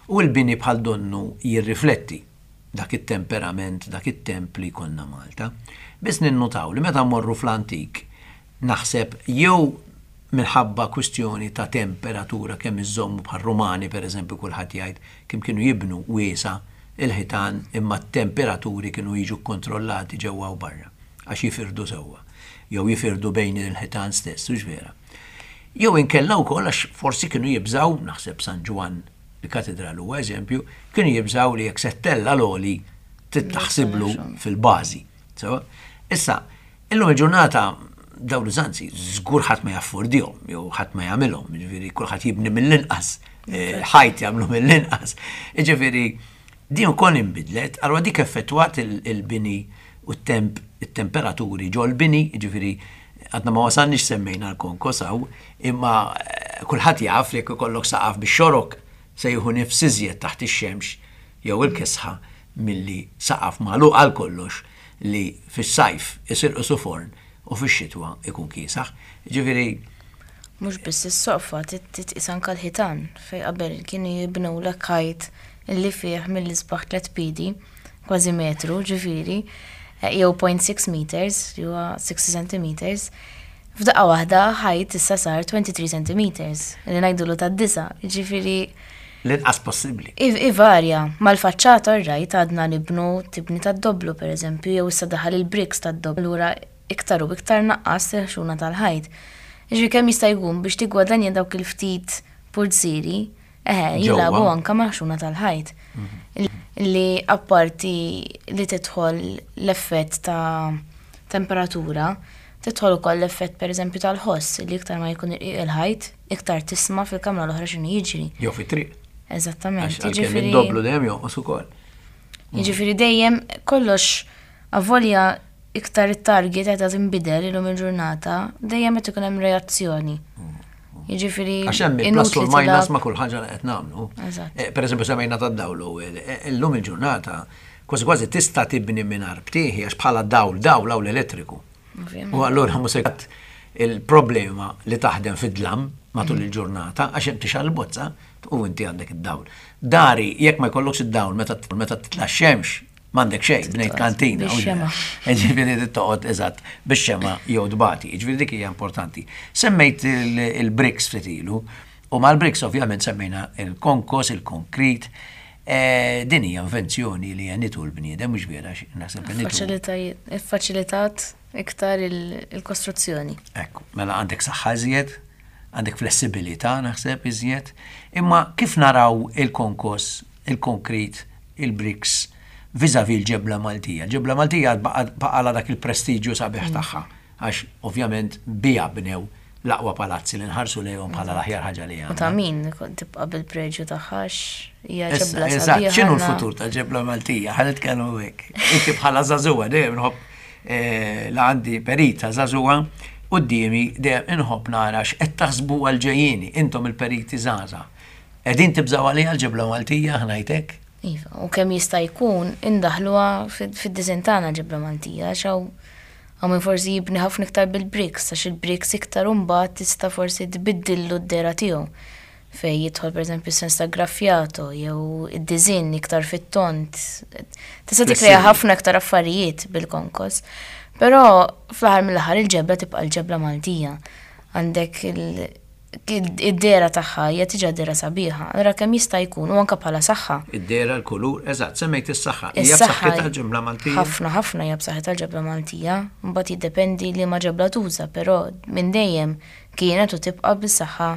U l-bini bħal donnu jirrifletti dak it-temperament, dak it-temp li jkollna Malta. Biss ninnutaw li meta mmorru fl-antik naħseb jew minħabba kwistjoni ta' temperatura kemm iżommu bħal Rumani per eżempju kulħadd jgħid kemm kienu jibnu wiesa il-ħitan imma t-temperaturi kienu jiġu kontrollati ġewwa u barra. għax jifirdu sewwa, jew jifirdu bejn il-ħitan stess, hux vera. Jew inkella wkoll għax forsi kienu jibżaw, naħseb San Ġwann il-katedral huwa eżempju, kienu jibżaw li jekk se ttella' l-għoli trid taħsiblu fil-bażi. So, issa, illum il-ġurnata dawn l-użanzi żgur ħadd ma jaffordihom jew ħadd ma jagħmilhom, jiġifieri kulħadd jibni mill-inqas, eh, ħajt jagħmlu mill-inqas. Jiġifieri din ukoll inbidlet, allura dik effettwat il-bini u t-temp, it-temperaturi ġol bini, jiġifieri għadna ma wasalniex semmejna l-konkos hawn, imma eh, kulħadd jaf li jekk ikollok saqaf bix-xorok se jieħu nifs iżjed taħt ix-xemx jew il-kesħa milli saqaf magħluq għal kollox li fis-sajf isir qisu forn u fix-xitwa ikun kiesaħ. Ġifieri Mhux biss is-soqfa, titqis anke l-ħitan, fejn qabel kienu jibnulek ħajt illi fih mill-isbaħ tliet piedi, kważi metru, ġifieri, jew zero point six meters, li huwa sixty centimeters. F'daqqa waħda ħajt issa sar twenty-three centimeters, li ngħidulu tad-disa, ġifieri L-inqas possibbli. Ivarja, mal-faċċata rajt għadna nibnu tibni tad-doblu per eżempju, jew issa daħal il-bricks tad-doblu, allura iktar u iktar naqqas il-ħxuna tal-ħajt. Ġifieri kemm jista' jkun biex tiggwadanja dawk il-ftit pulzieri, eħe, jilagħbu anka mal-ħxuna tal-ħajt. Li apparti li tidħol l-effett ta' temperatura, tidħol ukoll l-effett pereżempju tal-ħoss, li iktar ma jkun irqiq il-ħajt, iktar tisma' fil-kamra l-oħra x'inhu jiġri. Jew fit-triq. Eżattament. Għax għalkemm id-doblu dejjem jonqos ukoll. Jiġifieri dejjem kollox avolja iktar it-target qed tinbidel illum il-ġurnata, dejjem qed ikun hemm reazzjoni. Jiġifieri Għax hemm il-plus u l-minus ma' kull ħaġa li qed nagħmlu. Eżatt. Eh, Per eżempju semmejna tad-dawl l-ewwel. Eh, Illum il-ġurnata kważi kważi tista' tibni mingħajr btieħi għax bħala dawl dawl hawn l-elettriku. Ovvjament. U allura mhux se il-problema li taħdem fid-dlam matul il-ġurnata għax hemm tixgħel il-bozza u inti għandek id-dawl. Dari jekk ma jkollokx id-dawl meta meta titla' x-xemx m'għandek xejn, bnejt kantina. u Bix-xema. Ġifieri toqgħod eżatt bix-xema jew tbati. Ġifieri dik hija importanti. Semmejt il- il-bricks ftit ilu u mal-bricks ovvjament semmejna il-konkos, il-konkrit. Eh, Din hija invenzjoni li għenitu l-bniedem, mhux vera, naħseb għenitu. Faċilitajiet, iffaċilitat iktar il- il-kostruzzjoni. Ekku, mela għandek saħħa iżjed, għandek flessibilità naħseb iżjed, imma kif naraw il-konkos, il-konkrit, il-bricks, vis-a-vis l-ġebla Maltija? Ġebla Maltija baqa dak il-prestiġju sabiħ tagħha, għax ovvjament bija bnew l-aqwa palazzi li nħarsu lejhom bħala l-aħjar ħaġa li U għandna. ta' min tibqa' bil-preġju tagħha għax hija Issa, ġebla eżatt, sabiħa. x'inhu għandna- l-futur tal-ġebla Maltija? Ħa nitkellmu hekk. Inti bħala żagħżugħa dejjem nħobb eh, la għandi perita żagħżugħa quddiemi, dejjem inħobb nara x'qed taħsbu għal-ġejjieni intom il-periti żgħażagħ. Qegħdin tibżgħu għaliha l-ġebla Maltija, ħa ngħidlek? Iva, u kemm jista' jkun indaħluha fid-disinn tagħna ġebla Maltija, għax hawn hawn min forsi jibni ħafna iktar bil-bricks, għax il-bricks iktar imbagħad tista' forsi tbiddillu d-dehra tiegħu. Fej jidħol pereżempju sens ta' graffiato jew id-disinn iktar fit-tont. Tista' tikkrea Flessibbli. ħafna iktar affarijiet bil-konkos. Però fl-aħħar mill-aħħar il-ġebla tibqa' l-ġebla Maltija. Għandek il- id-dehra tagħha hija diġà dehra sabiħa. Allura kemm jista' jkun u anke bħala saħħa. Id-dehra, l-kulur, eżatt, semmejt is-saħħa. Hija Is-saħħa b'saħħitha l-ġebla Maltija? Ħafna, ħafna hija b'saħħitha l-ġebla Maltija. Mbagħad jiddependi li ma ġebla tuża, però minn dejjem kienet u tibqa' bis-saħħa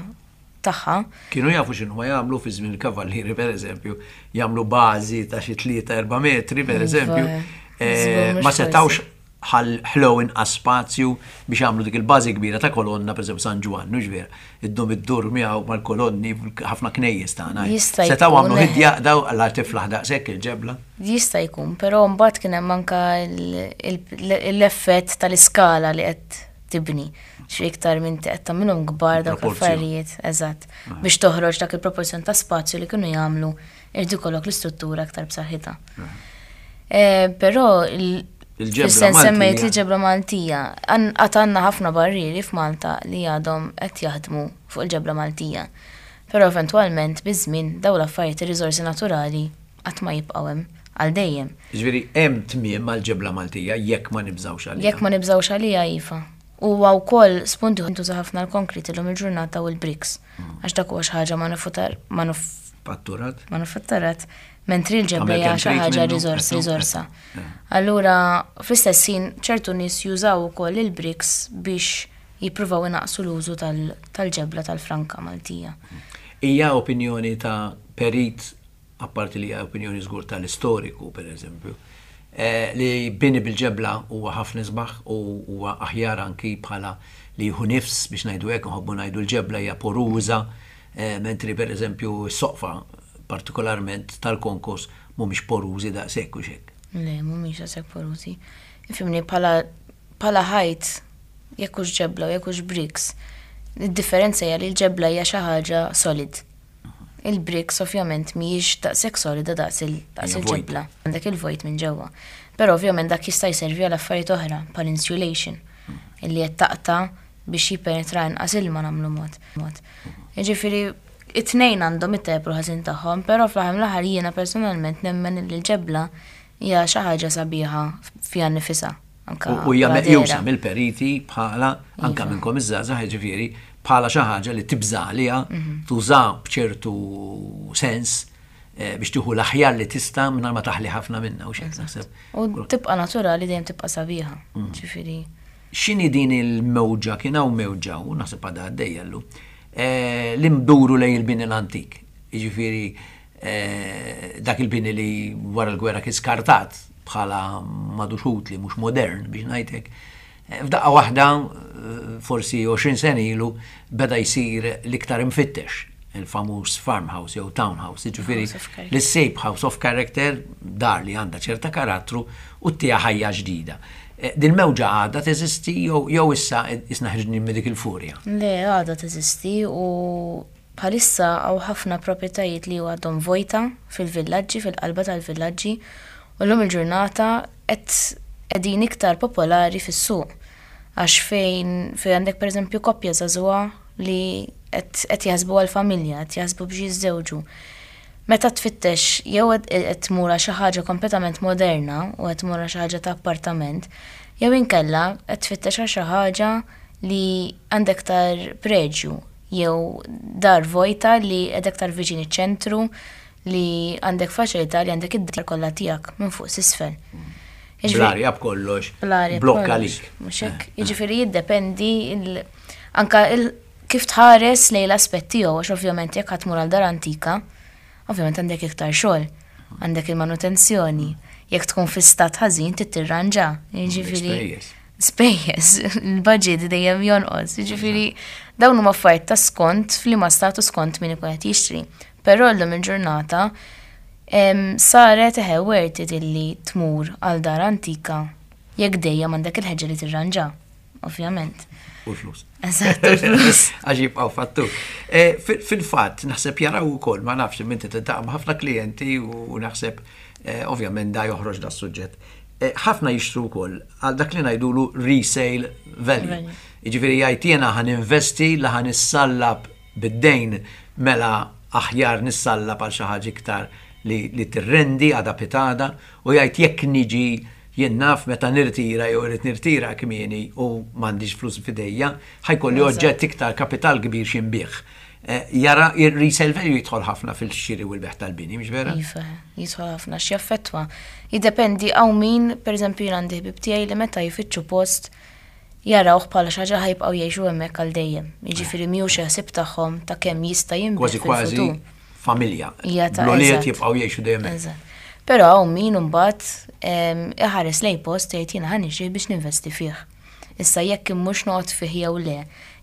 tagħha. Kienu jafu x'inhu ma jagħmlu fi żmien il-kavallieri, pereżempju, jagħmlu bażi ta' xi tlieta erba' metri, pereżempju. Iva, Eh, żgur mhux Ma setawx forsi. ħallew inqas spazju biex jagħmlu dik il-bażi kbira ta' kolonna, pereżempju San Ġwann, mhux vera, iddum iddur miegħu mal-kolonni ħafna knejjes tagħna. Jista' Setgħu jkun, għamlu eh. ħidja daw għal tiflaħ daqshekk il-ġebla. Jista' jkun, però mbagħad kien hemm anke l-effett tal-iskala li qed tibni. Xi iktar minn qed tagħmilhom kbar dawk Proporzjon. l-affarijiet, eżatt. Biex toħroġ dak il-proporzjon ta' spazju li kienu jagħmlu, irid ikollok l-istruttura aktar b'saħħitha. Eh, Però il- Il-ġebla fis-sens semmejt Maltija. li ġebla Maltija. Għad għandna ħafna barrieri f'Malta li għadhom qed jaħdmu fuq il-ġebla Maltija. Però eventwalment biż-żmien dawn l-affarijiet, ir-riżorsi naturali qatt ma jibqgħu hemm għal dejjem. Ġifieri hemm tmiem mal-ġebla Maltija jekk ma nibżgħux għaliha. Jekk ma nibżgħux għaliha, iva. Huwa wkoll spunti ntuża ħafna l-konkrit illum il-ġurnata u l-bricks. Għax dak huwa xi ħaġa manufatturat Patturat. Manufatturat, mentri l-ġebla hija xi ħaġa riżors, riżorsa. Allura, fl-istess ħin, ċertu nies jużaw ukoll il-bricks biex jippruvaw inaqsu l-użu tal-ġebla tal-franka Maltija. Hija opinjoni ta' perit, apparti li hija opinjoni żgur tal-istoriku, per eżempju, eh, li bini bil-ġebla huwa ħafna isbaħ u huwa aħjar anki bħala li jieħu nifs, biex ngħidu hekk, nħobbu ngħidu l-ġebla hija poruża, eh, mentri per eżempju s-soqfa partikolarment tal-konkos mhumiex porużi daqshekk u xek. Le, mhumiex daqshekk porużi. Ifhimni, bħala bħala ħajt, jekk hux ġebla u jekk hux bricks, id-differenza hija li l-ġebla hija xi ħaġa solid. Il-bricks ovvjament mhijiex daqshekk solida daqs il-ġebla. Għandek il-vojt minn ġewwa. Però ovvjament dak jista' jservi għal affarijiet oħra bħal insulation illi qed taqta' biex jippenetra inqas ilma, nagħmlu mod. mod. Jiġifieri it-tnejn għandhom it-tajjeb u l-ħażin tagħhom, però fl-aħħar mill-aħħar jiena personalment nemmen li l-ġebla hija xi ħaġa sabiħa fiha nnifisha. U hija meqjusa mill-periti bħala, anka minnkom iż-żgħażagħ, jiġifieri bħala xi ħaġa li tibża' għaliha, tuża b'ċertu sens eh, biex tieħu l-aħjar li tista' mingħajr ma taħli ħafna minnha u xejn naħseb. U tibqa' naturali, dejjem tibqa' sabiħa. Ġifieri. X'inhi din il-mewġa, kien hawn mewġa u naħseb għadha għaddejja llum, eh, li nduru lejn il-bini l-antik. Jiġifieri eh, dak il-bini li wara l-gwerra kien skartat bħala m'għadux utli, mhux modern biex ngħidlek. Eh, f'daqqa waħda, forsi għoxrin sena ilu, beda jsir l-iktar imfittex, il-famuż farmhouse jew townhouse, jiġifieri li ssib house of character, dar li għandha ċerta karattru u ttiha ħajja ġdida. Din mewġa għadha teżisti jew issa isna ħriġni minn dik il-furja? Le, għadha teżisti u bħalissa hawn ħafna proprjetajiet li għadhom vojta fil-villaġġi, fil-qalba tal-villaġġi, u llum il-ġurnata qed qegħdin iktar popolari fis-suq. Għax fejn fejn għandek, pereżempju, koppja żagħżugħa li qed jaħsbu għal-familja, qed jaħsbu biex jiżżewġu. Meta tfittex jew qed tmur xi ħaġa kompletament moderna u qed tmur xi ħaġa ta' appartament, jew inkella qed tfittex għal xi ħaġa li għandek aktar preġju jew dar vojta li qed aktar viċin iċ-ċentru, li għandek faċilità li għandek id-dar kollha tiegħek minn fuq s'isfel. Bl-arja, b'kollox. Blokka lik. Mhux hekk? Jiġifieri jiddependi anka kif tħares lejn l-aspett tiegħu, għax ovvjament jekk ħa tmur għal dar antika, ovvjament għandek iktar xogħol, għandek il-manutenzjoni, jekk tkun fi stat ħażin trid tirranġa. Jiġifieri spejjeż, il-budget dejjem jonqos. Jiġifieri dawn huma affarijiet ta' skont f'liema statu, skont min ikun qed jixtri. Però llum il-ġurnata saret eħe worth it illi tmur għal dar antika jekk dejjem għandek il-ħeġġa li tirranġa, ovvjament. U l-flus. Eżatt, u l-flus. Għax jibqgħu fattur. Eh, fil-fatt, naħseb jaraw ukoll, ma nafx, inti tiltaqa' ma' ħafna klijenti u naħseb eh, ovvjament da joħroġ da suġġett. Eh, ħafna jixtru wkoll għal dak li ngħidulu resale value. Jiġifieri jgħid, jiena ħa ninvesti, la ħa nissallab bid-dejn, mela aħjar nissallab għal xi ħaġa iktar li, li tirrendi għada pitgħada, u jgħid jekk niġi jien naf meta nirtira jew irrid nirtira kmieni u m'għandix flus f'idejja, ħa jkolli oġġett iktar kapital kbir x'inbigħ. Eh, jara il-resale value jidħol ħafna fil-xiri u l-bejgħ tal-bini, mhux vera? Iva, jidħol ħafna, x'jaffettwa. Jiddependi, hawn min, per eżempju, jien għandi ħbib tiegħi li meta jfittxu post jarawh bħala xi ħaġa ħa jibqgħu jgħixu hemmhekk għal dejjem. Jiġifieri mhux ħsieb tagħhom ta' kemm jista' jinbigħ Kważi kważi fil-futur. familja. Hija ta' L-ulied eżatt. jibqgħu jgħixu dejjem hekk. Eżatt. Però hawn min imbagħad em, iħares lej post, jgħid, jiena ħa nixtrih biex ninvesti fih. Issa jekk immurx noqgħod fih jew le,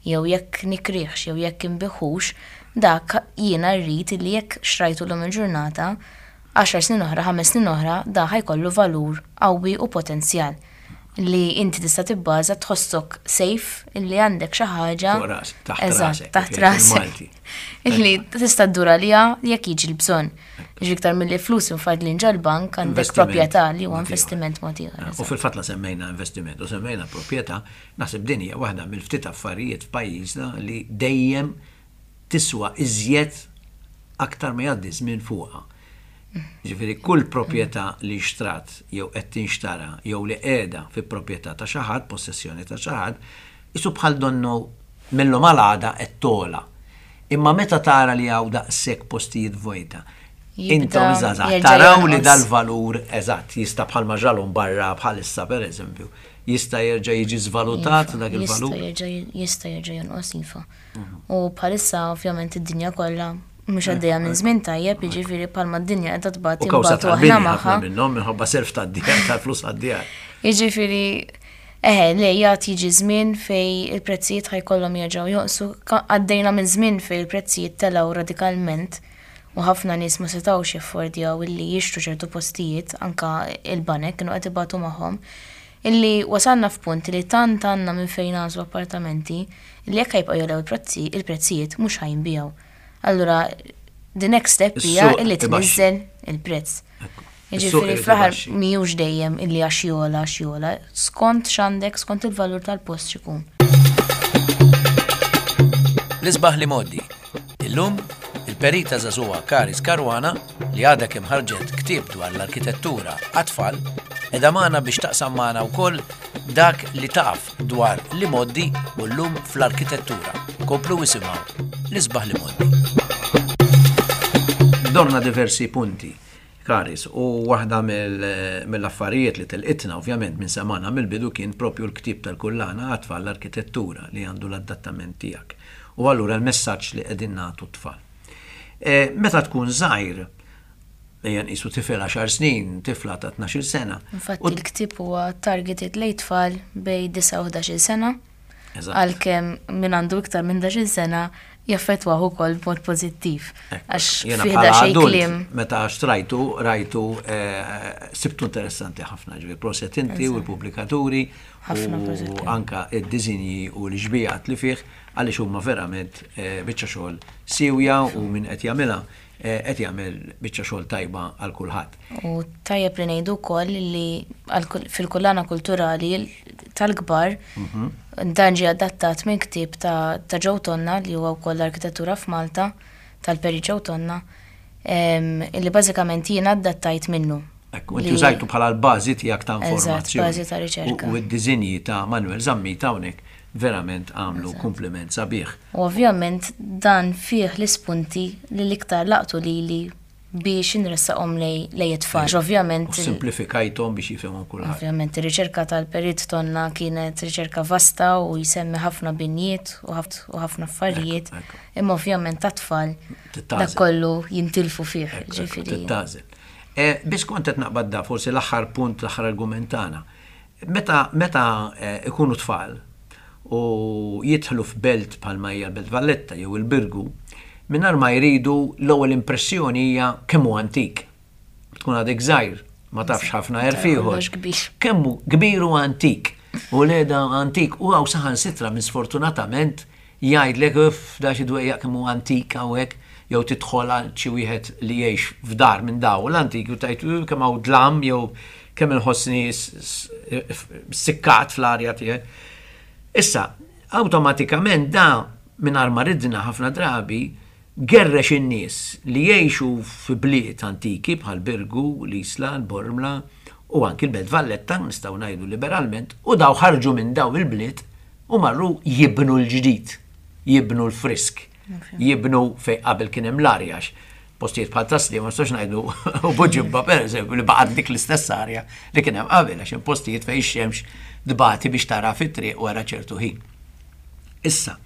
jew jekk nikrihx jew jekk inbigħhux, dak jiena rrid li jekk xtrajtu llum il-ġurnata, għaxar snin oħra, ħames snin oħra, da ħa jkollu valur qawwi u potenzjal li inti tista' tibbaża, tħossok safe illi għandek xi ħaġa Fuq ras, taħt Eżatt, rasek, taħt kif rasek. il-Malti. Illi tista' ddur għaliha jekk jiġi l-bżonn. Jiġi iktar milli flus imfadlin ġol-bank, għandek Investiment proprjetà li huwa mod ieħor. investiment mod ieħor. U fil-fatt la semmejna investiment u semmejna proprjetà, naħseb din hija waħda mill-ftit affarijiet f'pajjiżna li dejjem tiswa iżjed aktar ma jgħaddi żmien fuqha. Ġifieri kull proprjetà li xtrat jew qed tinxtara jew li qiegħda fi proprjetà ta' xi ħadd, possessjoni ta' xi ħadd, Isu bħal donnu millu malada qed tola. Imma meta tara li hawn daqshekk postijiet vojta, intom żgħażagħ taraw li dal-valur eżatt jista' bħalma ġralhom barra bħalissa pereżempju, jista' jerġa' jiġi żvalutat dak il-valur. Jista' jerġa' jonqos iva. U bħalissa ovvjament id-dinja kollha mhux għaddejja minn żmien tajjeb, jiġifieri bħalma d-dinja qiegħda tbati U kawża tal-bini ħafna minnhom minħabba self tad-djar tal-flus għad-djar. Jiġifieri eħe, le jgħat jiġi żmien fej il-prezzijiet ħa jkollhom jerġgħu jonqsu. Għaddejna minn żmien fej il-prezzijiet telgħu radikalment u ħafna nies ma setgħux jaffordjaw illi jixtru ċertu postijiet, anka il-banek kienu qed ibatu magħhom. Illi wasalna f'punt li tant għandna minn fejn nagħżlu appartamenti li jekk ħa jibqgħu jogħlew il-prezzijiet mhux ħa jinbiegħu. Allura, the next step hija illi tniżżel il-prezz. Jiġifieri fl-aħħar mhijiex dejjem illi għax jogħla għax jogħla, skont x'għandek, skont il-valur tal-post x'ikun. L-isbaħ l-imgħoddi. Illum, il-perita żagħżugħa Karis Caruana, li għadha kemm ħarġet ktieb dwar l-arkitettura għat-tfal, qiegħda magħna biex taqsam magħna wkoll dak li taf dwar l-imgħoddi u llum fl-arkitettura. Komplu isimgħu l-isbaħ l-imgħoddi. Dorna diversi punti, Karis, u waħda mill-affarijiet li telqitna ovvjament minn semana mill-bidu kien propju l-ktieb tal-kullana għat-tfal l-arkitettura li għandu l-adattament tiegħek. U allura l-messaġġ li qegħdin nagħtu t-tfal. Meta tkun żgħir, ejja nqisu tifel għaxar snin, tifla ta' tnax-il sena. Infatti l-ktieb huwa targeted lejn tfal bejn disa' u ħdax-il sena. Għalkemm min għandu iktar minn ħdax-il sena jaffettwah ukoll b'mod pożittiv. Għax Jiena fih bħala xejn adult, kliem. Meta xtrajtu, rajtu, sibtu interessanti ħafna, ġifieri proset inti u l-pubblikaturi Ħafna u proset. anka id-disinji u l-xbijat li fih għaliex huma verament biċċa xogħol siwja u min qed jagħmilha qed jagħmel biċċa xogħol tajba għal kulħadd. U tajjeb li ngħidu wkoll li fil-kullana kulturali tal-kbar dan ġie adattat minn ktieb ta' Joe Tonna li huwa wkoll l-arkitettura f'Malta tal-Peri Joe Tonna, illi bażikament jiena adattajt minnu. Ekku, inti użajtu bħala l-bażi tiegħek ta' Eżatt, informazzjoni. bażi ta' riċerka. U d-diżinji ta' Manuel Zammit hawnhekk verament għamlu kompliment sabiħ. U ovvjament dan fih l-ispunti li l-iktar laqtu lili biex inressaqhom lej it-tfal. Ovvjament U simplifikajthom biex jifhimhom kulħadd. Ovvjament ir-riċerka tal-Perit Tonna kienet riċerka vasta u jsemmi ħafna binjiet u ħafna affarijiet. Imma ovvjament tat-tfal dak kollu jintilfu fih, ġifieri. Tittagħżel. Biex kont qed naqbad da forsi l-aħħar punt, l-aħħar argument tagħna. Meta, meta ikunu tfal u jidħlu f'belt bħalma hija l-Belt Valletta jew il-Birgu, mingħajr ma jridu l-ewwel impressjoni hija kemm hu antik. Tkun għadek żgħir, ma tafx ħafna għerf ieħor. Kemm hu kbir u antik. U leda antik u hawn saħansitra minn sfortunatament jgħidlek uff da xi dwejjaq kemm hu antik hawnhekk, jew tidħol għal xi wieħed li jgħix f'dar minn daw l-antik u tgħid kemm hawn dlam jew kemm inħossni sikkat fl-arja tiegħek. Issa, awtomatikament da mingħajr ma ridna ħafna drabi gerrex in-nies li jgħixu f'bliet antiki bħal Birgu, l-Isla, l-Bormla u anki l-Belt Valletta, nistgħu ngħidu liberalment, u daw ħarġu minn daw il-bliet u marru jibnu l-ġdid, jibnu l-frisk, jibnu fej qabel kien hemm l-arja. Postijiet bħal Tasli, ma nistax ngħidu u Buġibba pereżempju li baqgħet dik l-istess arja li kien hemm qabel, għax hemm postijiet fejn ix-xemx dbati biex tara fit-triq wara ċertu ħin. Issa,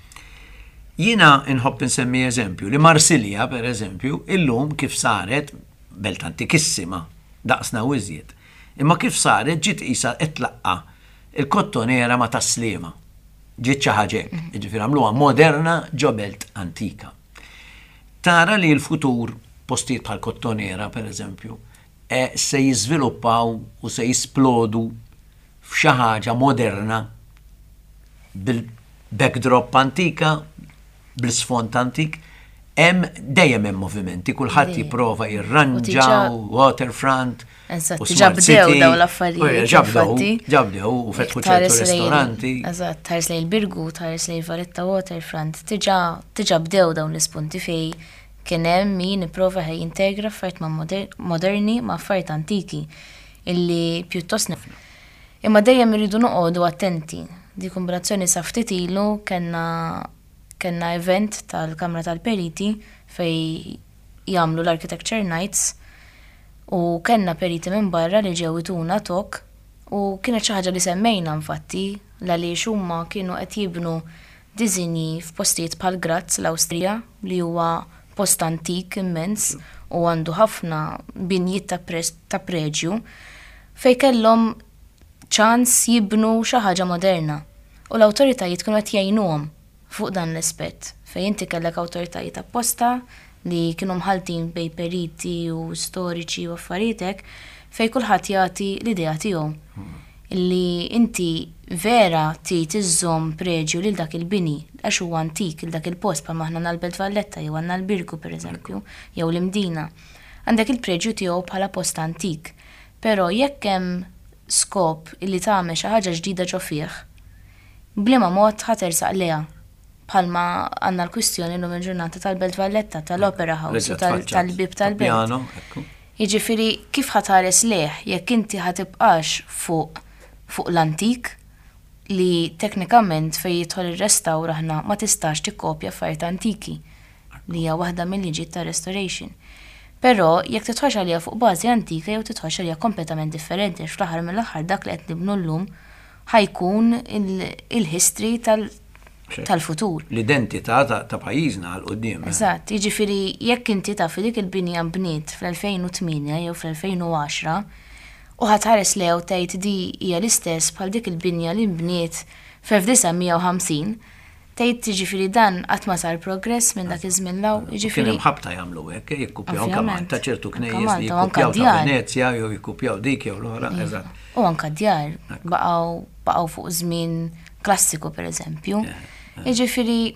jiena nħobb insemmi eżempju li Marsilja pereżempju illum kif saret belt antikissima daqsna u iżjed. Imma kif saret ġiet qisha qed tlaqqa' il-kottonera ma' Tas-Sliema. Ġiet xi ħaġa hekk, jiġifieri għamluha moderna ġo belt antika. Tara li l-futur postijiet bħal kottonera pereżempju se jiżviluppaw u se jisplodu f'xi ħaġa moderna bil-backdrop antika, bl-isfond antik, hemm dejjem hemm movimenti, kulħadd jipprova jirranġa waterfront. Eżatt, diġà bdew dawn l-affarijiet. Ġa bdew, ġa bdew u fetħu ċertu ristoranti. Eżatt, tħares lejn il-Birgu, tħares lejn Valletta Waterfront, diġà diġà bdew dawn l-ispunti fej kien hemm min ipprova jintegra affarijiet ma' moderni ma' affarijiet antiki illi pjuttost Imma dejjem irridu noqogħdu attenti. Di kombinazzjoni sa ftit ilu kellna kellna event tal-Kamra tal-Periti fej jagħmlu l-Architecture Nights u kellna periti minn barra li ġew ituna talk u kienet xi ħaġa li semmejna infatti għaliex huma kienu qed jibnu disinji f'postijiet bħal Graz, l-Awstrija, li huwa post antik immens u għandu ħafna binjiet ta' pres- ta' preġju fej kellhom ċans jibnu xi ħaġa moderna. U l-awtoritajiet kienu qed jgħinuhom fuq dan l-aspett fejn inti kellek awtoritajiet apposta li kienu mħaltin bej periti u storiċi u affarijiet hekk fej kulħadd jagħti l-idea tiegħu. Illi inti vera trid iżżomm preġju lil dak il-bini għax huwa antik il dak il-post bħalma aħna l-Belt Valletta jew għandna l-Birgu pereżempju jew l-Imdina. Għandek il-preġju tiegħu bħala post antik. Però jekk hemm skop illi tagħmel xi ħaġa ġdida ġo fih, b'liema mod ħa tersaq lejha bħalma għandna l-kwistjoni llum il-ġurnata tal-Belt Valletta, tal-Opera House u tal- tal-bib tal-Belt. Piano, ekku. Jiġifieri kif ħa tħares lejh jekk inti ħa tibqax fuq fuq l-antik li teknikament fej jidħol ir-restawr aħna ma tistax tikkopja affarijiet antiki li hija waħda mill-liġijiet ta' restoration. Però jekk tidħolx għaliha fuq bażi antika jew tidħolx għaliha kompletament differenti għax fl-aħħar mill-aħħar dak li qed nibnu llum ħa jkun il-history tal- tal-futur. L-identità ta' ta' pajjiżna għal quddiem. Eżatt, jiġifieri jekk inti taf li dik il-binja nbniet fl-elfejn u tmienja jew fl-elfejn u għaxra u ħa tħares lejha u tgħid di hija l-istess bħal dik il-binja li nbniet fl-elf disa' mija u ħamsin, tgħid jiġifieri dan qatt ma sar progress minn dak iż-żmien 'l hawn, Kien jiġifieri hemm ħabta jagħmlu hekk, jikkupjaw anke Ovvjament. Malta ċertu Anka knejjes li Malta, u anka jikkupjaw ta' djar. Venezja jew jikkupjaw dik jew l-oħra, eżatt. U anka djar baqgħu baqgħu fuq żmien klassiku pereżempju. Jiġifieri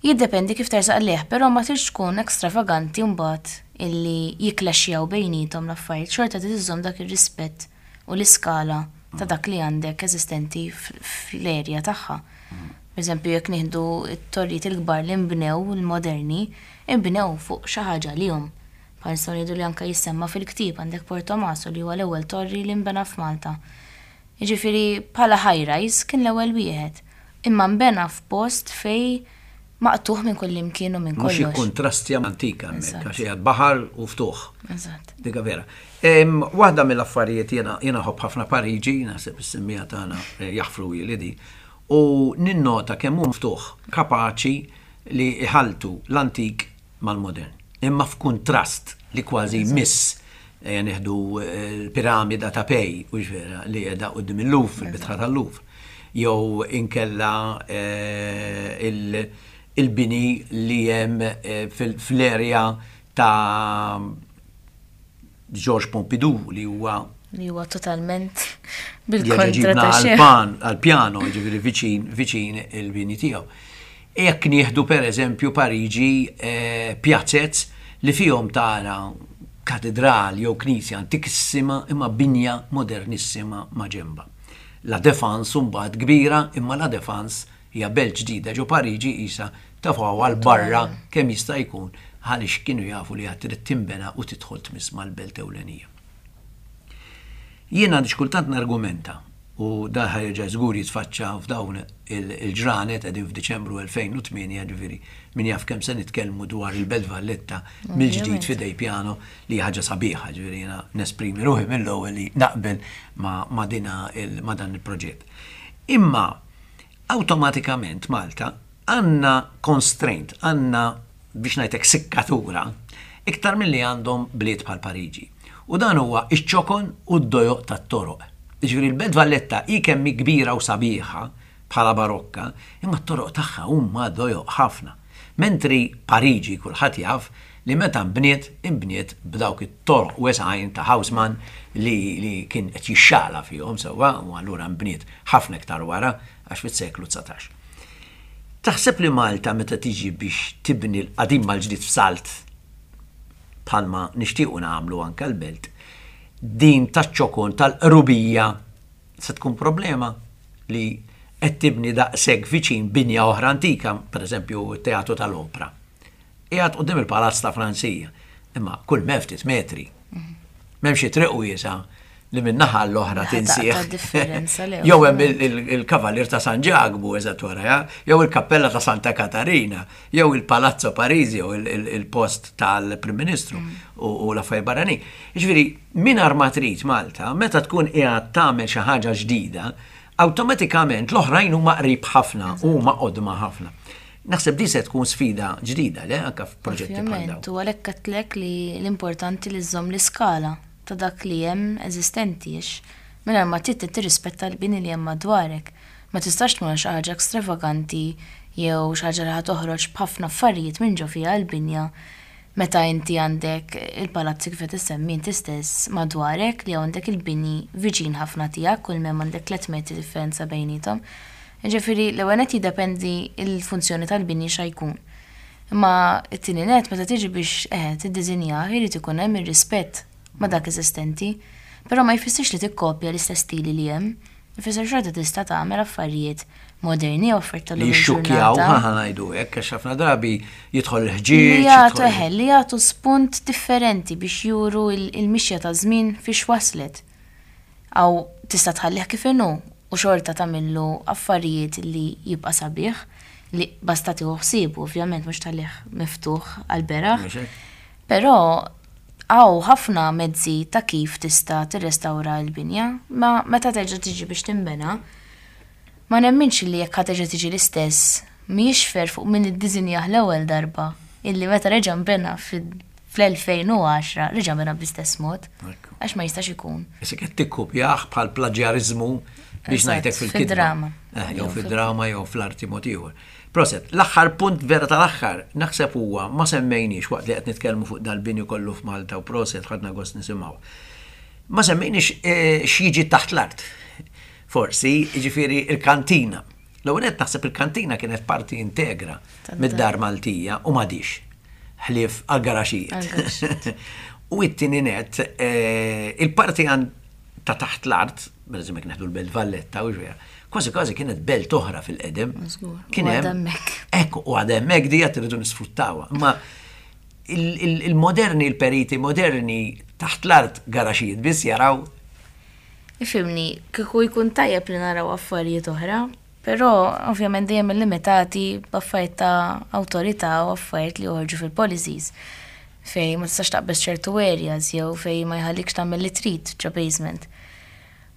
jiddependi kif tersaq lejh, però ma tridx tkun ekstravaganti mbagħad illi jiklaxxjaw bejniethom l-affarijiet, xorta trid iżżomm dak ir-rispett u l-iskala ta' dak li għandek eżistenti fl-erja tagħha. Per eżempju, jekk nieħdu t-torrijiet il-kbar li nbnew il-moderni, inbnew fuq xi ħaġa lihom. Bħal nistgħu ngħidu li anke jissemma fil-ktieb għandek Portomaso li huwa l-ewwel torri li nbena f'Malta. Jiġifieri bħala high rise kien l-ewwel wieħed. Imma nbena f'post fej maqtuħ minn kull imkien u minn Mhux kollox. jikkontrastja antika hemmhekk, Eżatt. għax qiegħed baħar u ftuħ. Eżatt. Dika vera. Em, Waħda mill-affarijiet jiena jiena nħobb ħafna Pariġi, naħseb is-semmiegħa tagħna eh, jaħfru li di, u ninnota kemm hu mftuħ kapaċi li iħaltu l-antik mal-modern. Imma f'kuntrast li kważi miss eh, nieħdu eh, l-piramida ta' Pei, u vera li qiegħda quddiem il-Louvre, il-bitħa tal-Louvre. Jew inkella eh, il- il-bini li hemm eh, fil- fl-erja ta' Georges Pompidou li huwa Li huwa totalment li bil-kontra ġibna ta' xejn. għal-pan, għal-pjano, ġifieri viċin, viċin il-bini tiegħu. Jekk nieħdu per eżempju Pariġi eh, pjazzez li fihom tara katedral jew knisja antikissima imma binja modernissima ma' ġemba. La Défense mbagħad kbira, imma La Défense hija belt ġdida ġo Pariġi isa tefgħu għal barra kemm jista' jkun għaliex kienu jafu li għad trid timbena u tidħol tmiss mal-belt ewlenija. Jiena għandi kultant nargumenta u da ħa jerġa' żgur jitfaċċa f'dawn il-ġranet, qegħdin f'Diċembru elfejn u tmienja, ġifieri min jaf kemm se nitkellmu dwar il-Belt Valletta mill-ġdid f'idejn Piano, li ħaġa sabiħa, ġifieri jiena nesprimi ruħi mill-ewwel li naqbel ma, ma dina il, ma dan il-proġett. Imma awtomatikament Malta għandna constraint, għandna biex ngħidlek sikkatura iktar milli għandhom bliet bħal Pariġi. U dan huwa iċ-ċokon u d-dojoq tat-toroq. Ġifieri l-Belt Valletta hi kemm hi kbira u sabiħa bħala barokka, imma t-toroq tagħha huma dojoq ħafna. Mentri Pariġi kulħadd jaf li meta nbniet, inbniet b'dawk it-toroq wesgħin ta' Haussmann li, li kien qed jixxala fihom sewwa, u allura nbniet ħafna iktar wara għax fis-seklu dsatax. Taħseb li Malta meta tiġi biex tibni l-qadim mal-ġdid f'salt bħalma nixtiequ nagħmlu anke l-belt, din taċ-ċokon tal-qrubija se tkun problema li qed tibni daqshekk viċin binja oħra antika, pereżempju t-Teatru tal-Opra? Qiegħed quddiem il-Palazz ta' Franzija, imma kull ma ftit metri. M'hemmx triq wiesa li min-naħa l-oħra Naħa tinsieħ. ta' differenza, le, Jew hemm il- il- il-Kavalier ta' San Ġakbu eżatt wara, jew il-Kappella ta' Santa Katarina, jew il-Palazzo Parisio, il- il- il-post tal-Prim Ministru u u l-affarijiet barranin. Jiġifieri, mingħajr ma trid Malta, meta tkun qiegħed tagħmel xi ħaġa ġdida, awtomatikament l-oħrajn huma qrib ħafna u huma qodma ħafna. Naħseb di se tkun sfida ġdida, le, anke f'proġetti bħal dawn. Ovvjament, u għalhekk għedtlek li l-importanti li żżomm l-iskala ta' dak li hemm eżistenti għax mingħajr ma trid tirrispetta l-bini li hemm madwarek. Ma tistax tmur xi ħaġa ekstravaganti jew xi ħaġa li ħa toħroġ b'ħafna affarijiet minn ġo fiha l-binja meta inti għandek il-palazzi kif qed issemmi inti stess madwarek li għandek il-bini viċin ħafna tiegħek, kull m'hemm għandek tliet metri differenza bejniethom. Ġifieri l-ewwel nett jiddependi il-funzjoni tal-bini xa jkun. Imma it-tieni net meta tiġi biex eh tiddiżinjah irid ikun hemm ir-rispett ma' dak eżistenti, però ma jfissirx li tikkopja l-istess stili li hemm. Ifisser xorta tista' tagħmel affarijiet moderni u affarijiet Li tal-lum jixxukkjaw, il-ġurnata. ħa ngħidu hekk, għax ħafna drabi jidħol il-ħġieġ. Li jagħtu jidħol- eħe, li jagħtu spunt differenti biex juru il- il-mixja ta' żmien fiex waslet. Aw tista' tħallih kif inhu u xorta tagħmillu affarijiet li jibqa' sabiħ li basta tieħu ħsiebu, ovvjament mhux tħallih miftuħ għal beraħ. Mhux hekk? Però hawn ħafna mezzi ta' kif tista' tirrestawra l-binja, ma meta terġa' tiġi biex tinbena, ma nemminx li jekk ħa terġa' tiġi l-istess, mhijiex fair fuq min iddiżinjah l-ewwel darba, illi meta reġa' nbena fl-elfejn u għaxra reġa' nbena bl-istess mod, Ekku. għax ma jistax ikun. Issa qed tikkupjah bħal plaġjariżmu biex Eżatt, ngħidlek fil-kitba. fid-drama. Eh, jew fid-drama jew fl-arti mod ieħor. Proset, l-aħħar punt vera tal-aħħar naħseb huwa ma semmejniex waqt li qed nitkellmu fuq dal-bini kollu f'Malta u proset ħadna gost nisimgħu. Ma semmejniex eh, x'jiġi taħt l-art. Forsi, jiġifieri il-kantina. L-ewwel nett naħseb il-kantina kienet parti integra Tad-dar. mid-dar Maltija u m'għadix ħlief għal-garaxijiet. Għall-garaxijiet. U it-tieni net, eh, il-parti għan ta' taħt l-art, per eżempju jekk neħdu l-Belt Valletta u ġwera, kważi kważi kienet belt oħra fil-qedem. Żgur, Kien u hemm- għadha hemmhekk. Ekku, u għadha hemmhekk dija tridu nisfruttawha. Ma il- il- il-moderni, il-periti moderni taħt l-art garaxijiet biss jaraw. Ifhimni, kieku jkun tajjeb li naraw affarijiet oħra, però ovvjament dejjem limitati b'affarijiet ta' awtorità u affarijiet li joħorġu fil-policies fej ma tistax taqbeż ċertu areas jew fej ma jħallikx tagħmel li trid ġo basement.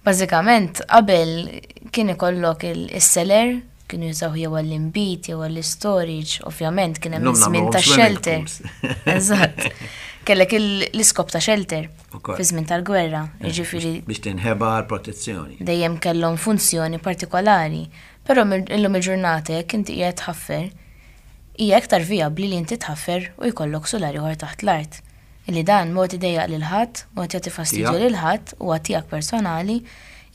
Bażikament qabel kien ikollok il-cellar, kienu jużaw jew għall-inbid jew għall-storage, ovvjament kien hemm Illum żmien nagħmluhom ta' swimming shelter. pools. Eżatt. Kellek il- l-iskop ta' shelter Ukoll. fi żmien tal-gwerra, jiġifieri biex tinħeba l-protezzjoni. Dejjem kellhom funzjoni partikolari. Però mill- illum il-ġurnata jekk inti qiegħed tħaffer, hija iktar vijabbli li inti tħaffer u jkollok sular ieħor taħt l-art. Illi dan mod idejjaq lil ħadd, mod jagħti fastidju Tiegħek. lil ħadd huwa tiegħek personali,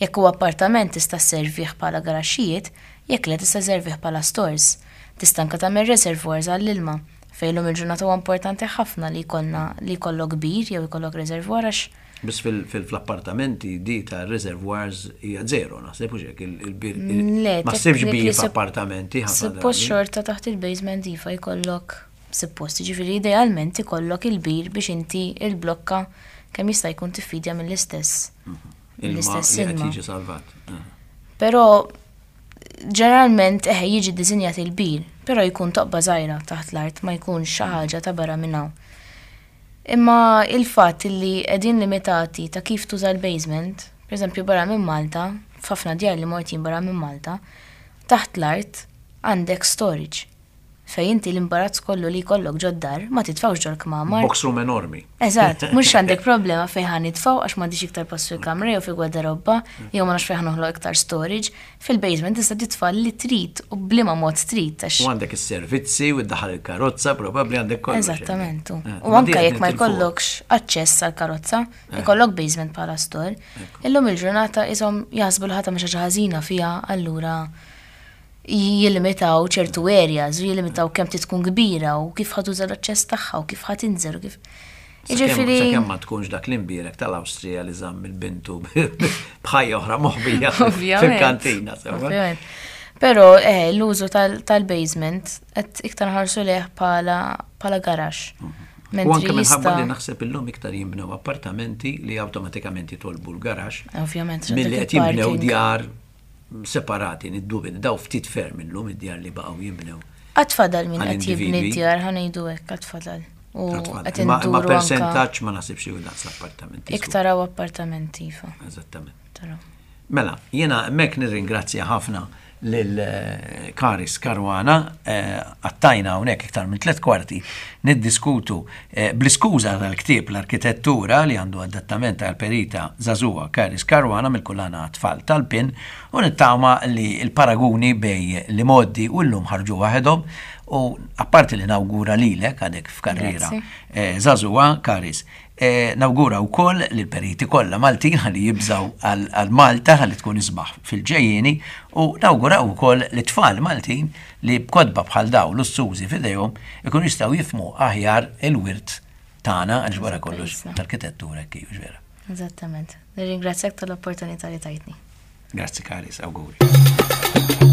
jekk huwa appartament tista' sservih bħala garaxxijiet, jekk le tista' sservih bħala stores. Tista' anke tagħmel reservoirs għall-ilma. Fejn illum il-ġurnata huwa importanti ħafna li jkollna li jkollok bir jew jkollok reservoir għax Biss fil-appartamenti di ta' reservoirs hija zero, naħseb u hekk il-bir. Le, Ma ssibx bir technically sup- f'appartamenti ħafna Suppost drabi. xorta taħt il-basement iva jkollok suppost, ġifieri idealment ikollok il-bir biex inti il-blokka kemm jista' jkun tiffidja mill-istess. Ilma Mill-istess li qed ilma. jiġi salvat. Eh. Però ġeneralment eħe jiġi ddisinjat il-bir, però jkun toqba żgħira taħt l-art, ma jkunx xi ħaġa ta' barra minn hawn. Imma il-fatt li qegħdin limitati ta' kif tuża l-basement, per eżempju barra minn Malta, f'ħafna djar li mort jien barra minn Malta, taħt l-art għandek storage. Fej inti l-imbarazz kollu li jkollok ġod-dar ma titfawx ġol-kmamar. Box room enormi. Eżatt, mhux għandek problema fejn ħa nitfgħu għax m'għandix iktar post fil-kamra jew fil-gwardarobba, jew ma nafx fejn ħa noħloq iktar storage. Fil-basement tista' titfa' li trid u b'liema mod trid għax U għandek is-servizzi u ddaħħal il-karozza, probabbli għandek kollox. Eżattament. Eh, U ma anka di qed jekk ma nitilfuha. jkollokx aċċess għal karozza, ikollok basement bħala store. Illum il-ġurnata isom jaħsbu li ħadd xi ħaġa ħażina fiha, allura jillimitaw ċertu areas u jillimitaw kemm tkun kbira u kif ħa tuża l-aċċess tagħha u kif ħa tinżel u kif. Sakemm Jiġifieri sakemm ma tkunx dak l-imbierek tal-Awstrija li żamm il-bintu b'ħajja oħra moħbija Ovvjament. fil-kantina. sewwa? Ovvjament. Però eh, l-użu tal- tal-basement qed iktar nħarsu leh bħala bħala garaxx. Mhm. U Mentri anke minħabba jista' li naħseb illum iktar jinbnew appartamenti li awtomatikament jitolbu l-garaxx Ovvjament, milli dak qed jinbnew il-parking. djar separati, niddubi, daw ftit ferm illum id-djar li baqgħu jinbnew. Għad fadal min Għal qed jibni individwi. d-djar, ħa ngħidu hekk, għad fadal. U qed Ma, ma induru anka percentaġġ ma naħsibx li daqs l-appartamenti. iktar hawn appartamenti, iva. Eżattament. Taraw. Mela, jiena hemmhekk nirringrazzja ħafna lil eh, Karis Caruana, eh, għattajna hawnhekk iktar minn tliet kwarti niddiskutu eh, bl-iskuża tal-ktieb "L-Arkitettura" li għandu adattament tal-perita żagħżugħa Karis Caruana mill-kullana Tfal tal-PIN, u nittama li l-paraguni bejn l-imgħoddi u llum ħarġu waħedhom, u apparti li nawgura lilek għadek f'karriera Grazzi. eh, żagħżugħa Karis. Eh, nawgura wkoll li l-periti kollha Maltin ħalli jibżaw għal għal Malta ħalli tkun isbaħ fil-ġejjieni, u nawgura wkoll li tfal Maltin li b'kotba bħal daw lussużi f'idejhom ikunu jistgħu jifhmu aħjar il-wirt tagħna, għaliex wara kollox Pajjiżna. l-arkitettura kif vera. Eżattament. Nirringrazzjak tal-opportunità li tajtni. Grazzi Karis, awguri.